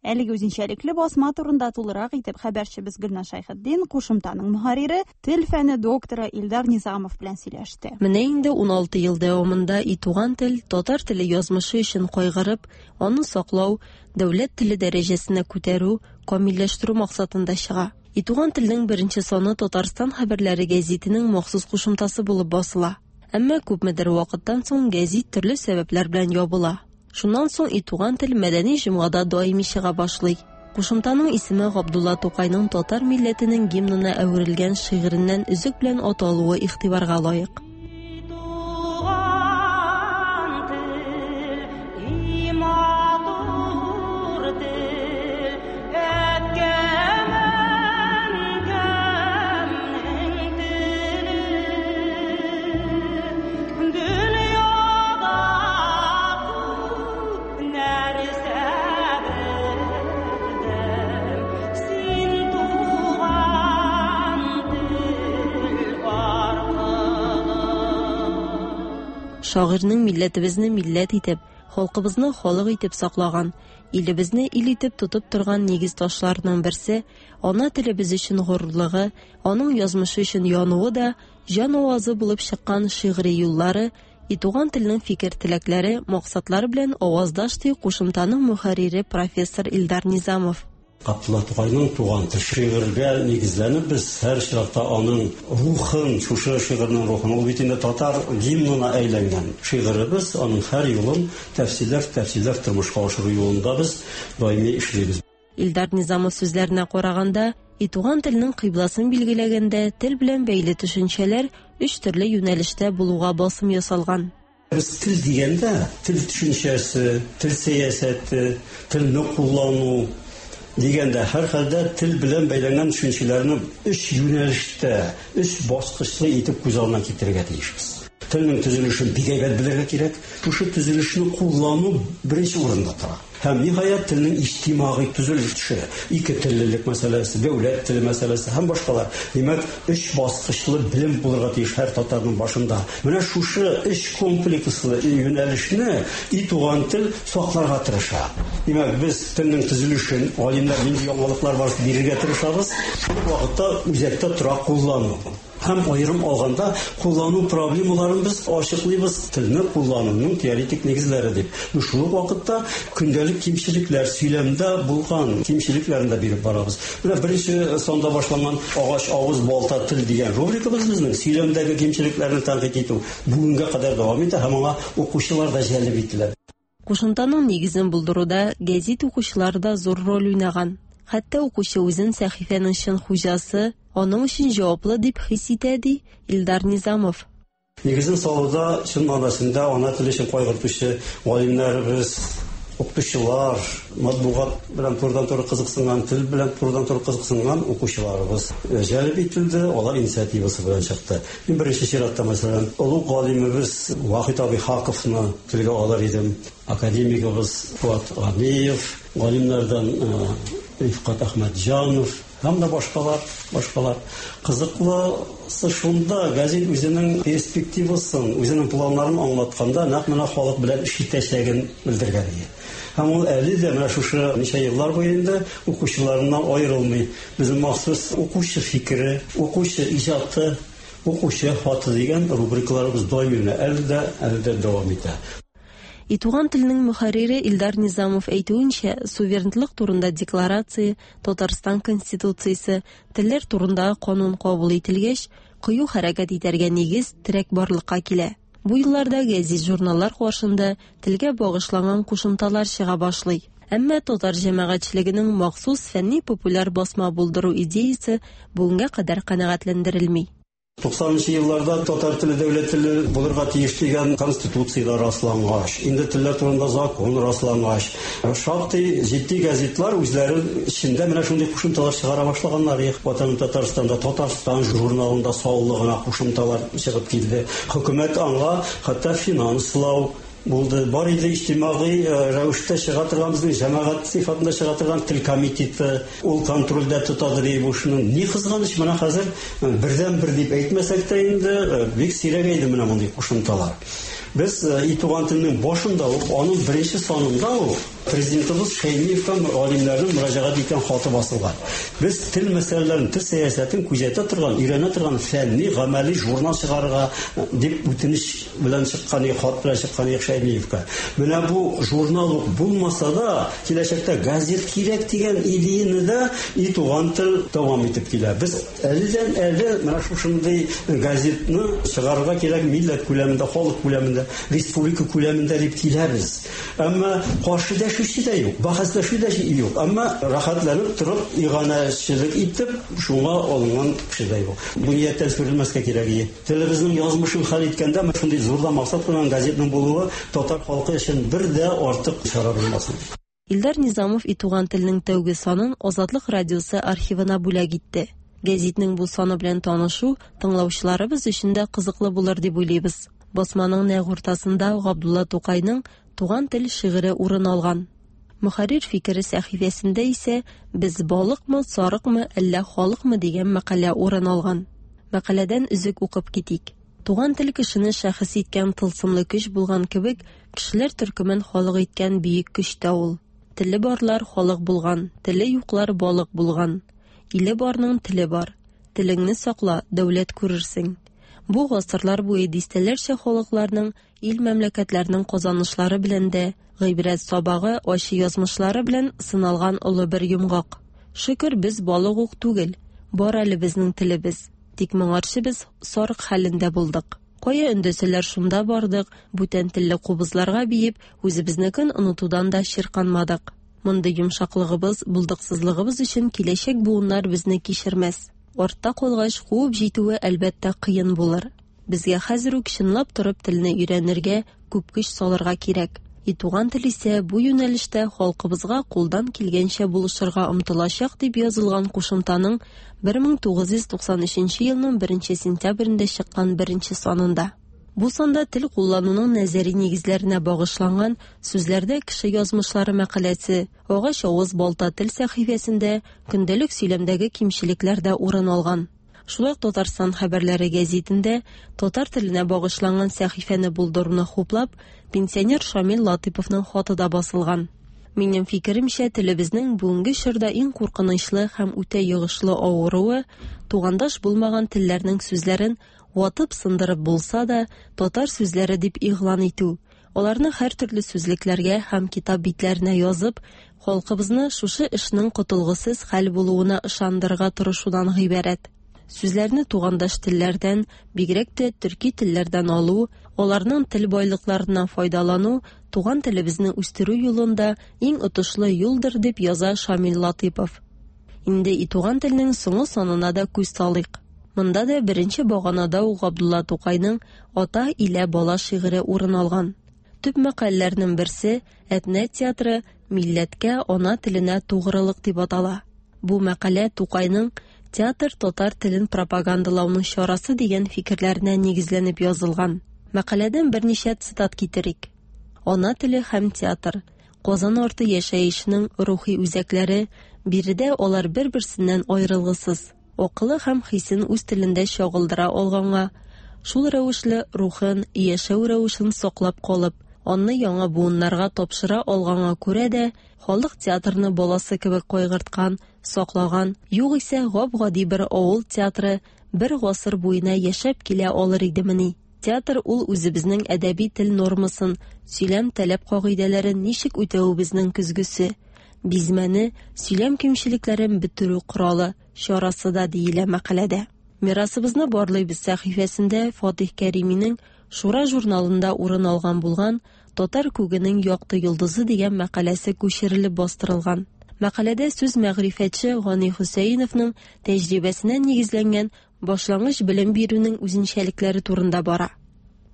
Әлеге үзенчәлекле басма турында тулырак итеп хәбәрчебез Гөлназ Шәйхетдин кушымтаның мөхәррире, тел фәне докторы Илдар Низамов белән сөйләште. Менә инде ун алты ел дәвамында И туган тел татар теле язмышы өчен кайгырып, аны саклау, дәүләт теле дәрәҗәсенә күтәрү, камилләштерү максатында чыга. И туган телнең беренче саны Татарстан хәбәрләре гәзитенең махсус кушымтасы булып басыла. Әмма күпмедер вакыттан соң гәзит төрле сәбәпләр белән ябыла. Шуннан соң И туган тел мәдәни җомгада даими чыга башлый. Кушымтаның исеме Габдулла Тукайның татар милләтенең гимнына әверелгән шигыреннән өзек белән аталуы игътибарга лаек. Шагыйрьнең милләтебезне милләт итеп, халкыбызны халык итеп саклаган, илебезне ил итеп тотып торган нигез ташларының берсе, ана телебез өчен горурлыгы, аның язмышы өчен януы да, җан авазы булып чыккан шигъри юллары, И туган телнең фикер-теләкләре, максатлары белән аваздаш ди кушымтаның мөхәррире профессор Илдар Низамов. Габдулла Тукайның туган тел шигырьгә нигезләнеп, без һәр чиратта аның рухын, шушы шигырьнең рухын, ул бит инде татар гимнына әйләнгән шигыребез, аның һәр юлын тәфсилләп, тәфсилләп тормышка ашыру юлында без даими эшлибез. Илдар Низамов сүзләренә караганда, и туган телнең кыйбласын билгеләгәндә тел белән бәйле төшенчәләр өч төрле юнәлештә булуга басым ясалган. Без тел дигәндә, тел төшенчәсе, тел сәясәте, телне куллану дигәндә һәрхәлдә тел белән бәйләнгән төшенчәләрне өч юнәлештә, өч баскычлы итеп күз алдына китерергә тиешбез. Телнең төзелешен бик әйбәт белергә кирәк. Шушы төзелешне куллану беренче урында тора. Һәм ниһаять телнең иҗтимагый төзелеше, ике теллелек мәсьәләсе, дәүләт теле мәсьәләсе һәм башкалар. Димәк, өч баскычлы белем булырга тиеш һәр татарның башында. Менә шушы өч комплекслы юнәлешне и туган тел сакларга тырыша. Димәк, без телнең төзелешен, галимнәр нинди яңалыклар бар бирергә тырышабыз. Шул вакытта үзәктә тора куллану. Һәм аерым алганда куллану проблемаларын без ачыклыйбыз, телне куллануның теоретик нигезләре дип. Шул ук вакытта көндәлек кимчелекләр, сөйләмдә булган кимчелекләрен дә биреп барабыз. Менә беренче санда башланган агач, авыз, балта, тел дигән рубрикабыз безнең сөйләмдәге кимчелекләрне тәнкыйть итү бүгенгә кадәр дәвам итә һәм аңа укучылар да җәлеп ителә. Кушымтаның нигезен булдыруда гәзит укучылары да зур роль уйнаган. Хәтта укучы үзен сәхифәнең чын хуҗасы, аның өчен җаваплы дип хис итә, ди Илдар Низамов. Нигезен салуда чын мәгънәсендә ана теле өчен кайгыртучы галимнәребез, укытучылар, матбугат белән турыдан-туры кызыксынган, тел белән турыдан-туры кызыксынган укучыларыбыз җәлеп ителде, алар инициативасы белән чыкты. Мин беренче чиратта, мәсәлән, олуг галимебез Вахит абый Хаковны телгә алыр идем, академигыбыз Фуат Ганиев, галимнәрдән Рифкат Әхмәтҗанов һәм дә башкалар, башкалар. Кызыклысы шунда, гәзит үзенең перспективасын, үзенең планнарын аңлатканда нәкъ менә халык белән эш итәчәген белдергән иде. Һәм ул әле дә менә шушы ничә еллар буе инде укучыларыннан аерылмый. Безнең махсус укучы фикере, укучы иҗаты, укучы хаты дигән рубрикаларыбыз даими менә әле дә, әле дә дәвам итә. И туган телнең мөхәррире Илдар Низамов әйтүенчә, суверенлык турында декларация, Татарстан Конституциясе, телләр турындагы канун кабул ителгәч, кыю хәрәкәт итәргә нигез, терәк барлыкка килә. Бу елларда гәзит журналлар каршында телгә багышланган кушымталар чыга башлый. Әмма татар җәмәгатьчелегенең махсус фәнни популяр басма булдыру идеясе бүгенгә кадәр канәгатьләндерелми. Туксанынчы елларда татар теле дәүләт теле булырга тиеш дигән конституциядә раслангач, инде телләр турында закон раслангач, шактый җитди гәзитләр үзләре эчендә менә шундый кушымталар чыгара башлаганнар. Ватаным Татарстанда, Татарстан журналында саллы гына кушымталар чыгып килде. Хөкүмәт аңа хәтта финанслау булды. Бар иде иҗтимагый рәвештә чыга торган безнең җәмәгать сыйфатында чыга торган тел комитеты, ул контрольдә тотадыр бу эшне. Ни кызганыч, менә хәзер бердән-бер дип әйтмәсәк тә инде бик сирәк иде менә мондый кушымталар. Без и туган телнең башында ук, аның беренче санында ук президентыбыз Шәймиевка галимнәрнең мөрәҗәгать иткән хаты басылган. Без тел мәсьәләләрен, тел сәясәтен күзәтә торган, өйрәнә торган фәнни, гамәли журнал чыгарырга дип үтенеч белән чыккан, хат белән чыккан Шәймиевка. Менә бу журнал ук булмаса да, киләчәктә газет кирәк дигән идеяне дә и туган тел дәвам итеп килә. Без әледән әле менә шушындый газетны чыгарырга кирәк милләт күләмендә, халык күләмендә, республика күләмендә дип киләбез. Әмма каршы дәшүче дә юк, бәхәсләшү дә юк. Әмма рәхәтләнеп торып, иганәчелек итеп, шуңа алынган кеше дә юк. Бу нияттән сүрелмәскә кирәк иде. Телебезнең язмышын хәл иткәндә шундый зур да максат куйган газетның булуы татар халкы өчен бер дә артык чара булмасын. Илдар Низамов и туган телнең тәүге санын Азатлык радиосы архивына бүләк итте. Гәзитнең бу саны белән танышу тыңлаучыларыбыз өчен дә кызыклы булыр дип уйлыйбыз. Басманың нәкъ уртасында Габдулла Тукайның Туган тел шигыре урын алган. Мөхәррир фикере сәхифәсендә исә «Без балыкмы, сарыкмы, әллә халыкмы» дигән мәкалә урын алган. Мәкаләдән өзек укып китик. Туган тел кешене шәхес иткән тылсымлы көч булган кебек, кешеләр төркемен халык иткән бөек көч тә ул. Теле барлар халык булган, теле юклар балык булган. Иле барның теле бар. Телеңне сакла, дәүләт күрерсең. Бу гасырлар буе дистәләрчә халыкларның, ил мәмләкәтләрнең казанышлары белән дә, гыйбрәт сабагы, ачы язмышлары белән сыналган олы бер йомгак. Шөкер, без балык ук түгел, бар әле безнең телебез. Тик моңарчы без сарык хәлендә булдык. Кая өндәсәләр шунда бардык, бүтән телле кубызларга биеп, үзебезнекен онытудан да чирканмадык. Мондый йомшаклыгыбыз, булдыксызлыгыбыз өчен киләчәк буыннар безне кичермәс. Артта калгач, куып җитүе әлбәттә кыен булыр. Безгә хәзер үк чынлап торып телне өйрәнергә, күп көч салырга кирәк. И туган тел исә бу юнәлештә халкыбызга кулдан килгәнчә булышырга омтылачак дип язылган кушымтаның бер мең тугыз йөз туксан өченче елның беренче сентябрендә чыккан беренче санында. Бу санда тел куллануның нәзәри нигезләренә багышланган сүзләрдә кеше язмышлары мәкаләсе, агач авыз балта тел сәхифәсендә көндәлек сөйләмдәге кимчелекләр дә урын алган. Шулай ук Татарстан хәбәрләре гәзитендә татар теленә багышланган сәхифәне булдыруны хуплап, пенсионер Шамил Латыповның хаты да басылган. Минем фикеремчә, телебезнең бүгенге чорда иң куркынычлы һәм үтә йогышлы авыруы тугандаш булмаган телләрнең сүзләрен ватып сындырып булса да татар сүзләре дип игълан итү, аларны һәр төрле сүзлекләргә һәм китап битләренә язып, халкыбызны шушы эшнең котылгысыз хәл булуына ышандырырга тырышудан гыйбарәт. Сүзләрне тугандаш телләрдән, бигрәк тә төрки телләрдән алу, аларның тел байлыкларыннан файдалану туган телебезне үстерү юлында иң отышлы юлдыр дип яза Шамил Латыпов. Инде и туган телнең соңгы санына да күз салыйк. Монда да беренче баганада ук Габдулла Тукайның «Ата илә бала» шигыре урын алган. Төп мәкаләләрнең берсе «Әтнә театры милләткә, ана теленә тугрылык» дип атала. Бу мәкалә Тукайның театр татар телен пропагандалауның чарасы дигән фикерләренә нигезләнеп язылган. Мәкаләдән берничә цитат китерик. Ана теле һәм театр Казан арты яшәешенең рухи үзәкләре, биредә алар бер-берсеннән аерылгысыз. Акылы һәм хисен үз телендә чагылдыра алганга, шул рәвешле рухын, яшәү рәвешен саклап калып, аны яңа буыннарга тапшыра алганга күрә дә халык театрны баласы кебек кайгырткан, саклаган, югыйсә гап-гади бер авыл театры бер гасыр буена яшәп килә алыр идемени? Театр ул үзебезнең әдәби тел нормасын, сөйләм таләп кагыйдәләрен ничек үтәвебезнең көзгесе, бизмәне, сөйләм кимчелекләрен бетерү коралы, чарасы да диелә мәкаләдә. Мирасыбызны барлыйбыз сәхифәсендә Фатих Кәриминең Шура журналында урын алган булган «Татар күгенең якты йолдызы» дигән мәкаләсе күчерелеп бастырылган. Мәкаләдә сүз мәгърифәтче Гани Хөсәеновның тәҗрибәсенә нигезләнгән башлангыч белем бирүнең үзенчәлекләре турында бара.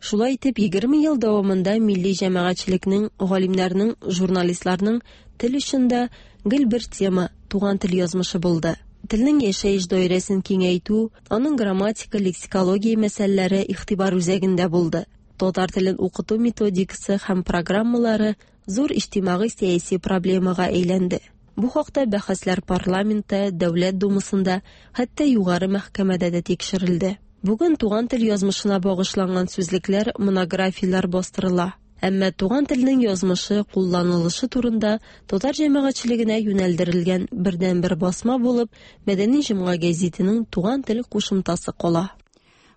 Шулай итеп, егерме ел дәвамында милли җәмәгатьчелекнең, галимнәрнең, журналистларның тел өчен дә гел бер тема туган тел язмышы булды. Телнең яшәеш даирәсен киңәйтү, аның грамматика, лексикология мәсьәләләре игътибар үзәгендә булды. Татар телен укыту методикасы һәм программалары зур иҗтимагый сәяси проблемага әйләнде. Бу хакта бәхәсләр парламентта, Дәүләт Думасында, хәтта югары мәхкәмәдә дә тикшерелде. Бүген туган тел язмышына багышланган сүзлекләр, монографияләр бастырыла. Әмма туган телнең язмышы, кулланылышы турында татар җәмәгатьчелегенә юнәлдерелгән бердәнбер басма булып Мәдәни җомга гәзитенең туган тел кушымтасы кала.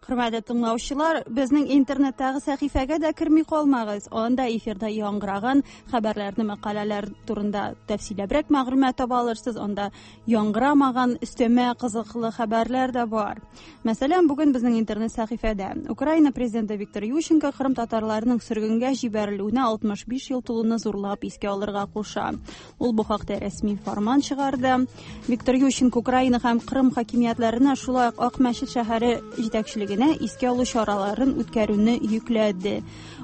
Хөрмәтле тыңлаучылар, безнең интернеттагы сәхифәгә дә керми калмагыз. Анда эфирда яңгыраган хәбәрләрне, мәкаләләр турында тәфсилләбрәк мәгълүмат таба алырсыз. Анда яңгырамаган өстәмә кызыклы хәбәрләр дә бар. Мәсәлән, бүген безнең интернет сәхифәдә Украина президенты Виктор Ющенко Кырым татарларының сөргенгә җибәрелүенә алтмыш биш ел тулуны зурлап искә алырга куша. Ул бу хакта рәсми фарман чыгарды. Виктор Ющенко Украина һәм Кырым хакимиятләренә шулай ук Акмәчет шәһәре җитәкчелегенә искә алу чараларын үткәрүне йөкләде.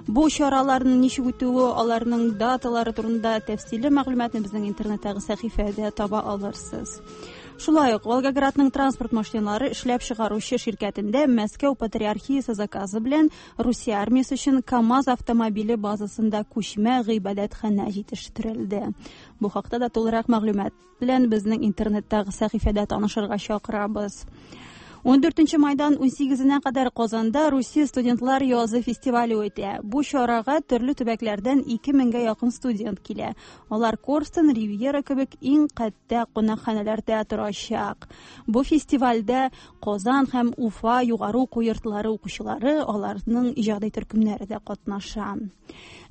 Бу чараларның ничек үтүе, аларның даталары турында тәфсилле мәгълүматны безнең интернеттагы сәхифәдә таба алырсыз. Шулай ук Волгоградның транспорт машиналары эшләп чыгаручы ширкәтендә Мәскәү патриархиясе заказы белән Русия армиясе өчен КАМАЗ автомобиле базасында күчмә гыйбадәтханә җитештерелде. Бу хакта да тулырак мәгълүмат белән безнең интернеттагы сәхифәдә танышырга чакырабыз. Ундүртенче майдан унсигезенә кадәр Казанда Русия студентлар язы фестивале үтә. Бу чарага төрле төбәкләрдән ике меңгә якын студент килә. Алар Корстон, Ривьера кебек иң кәттә кунакханәләрдә торачак. Бу фестивальдә Казан һәм Уфа югары уку йортлары укучылары, аларның иҗади төркемнәре дә катнаша.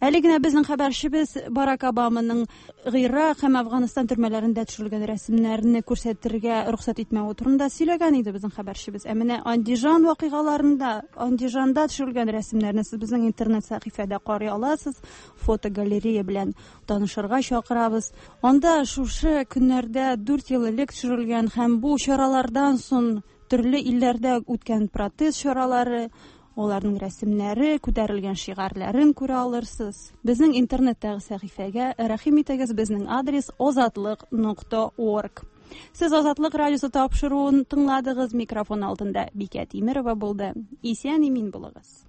Әле генә безнең хәбәрчебез Барак Обаманың Гыйрак һәм Әфганстан төрмәләрендә төшерелгән рәсемнәрне күрсәтергә рөхсәт итмәве турында сөйләгән иде безнең хәбәрчебез. Ә менә Андижан вакыйгаларында, Андижанда төшерелгән рәсемнәрне сез безнең интернет сәхифәдә карый аласыз. Фотогалерея белән танышырга чакырабыз. Анда шушы көннәрдә дүрт ел элек төшерелгән һәм бу чаралардан соң төрле илләрдә үткән протест чаралары, аларның рәсемнәре, күтәрелгән шигарьләрен күрә алырсыз. Безнең интернеттәге сәхифәгә рәхим итегез, безнең адрес озатлык нокта орг. Сез Азатлык радиосы тапшыруын тыңладыгыз. Микрофон алдында Бикә Тимерова булды. Исән имин булыгыз.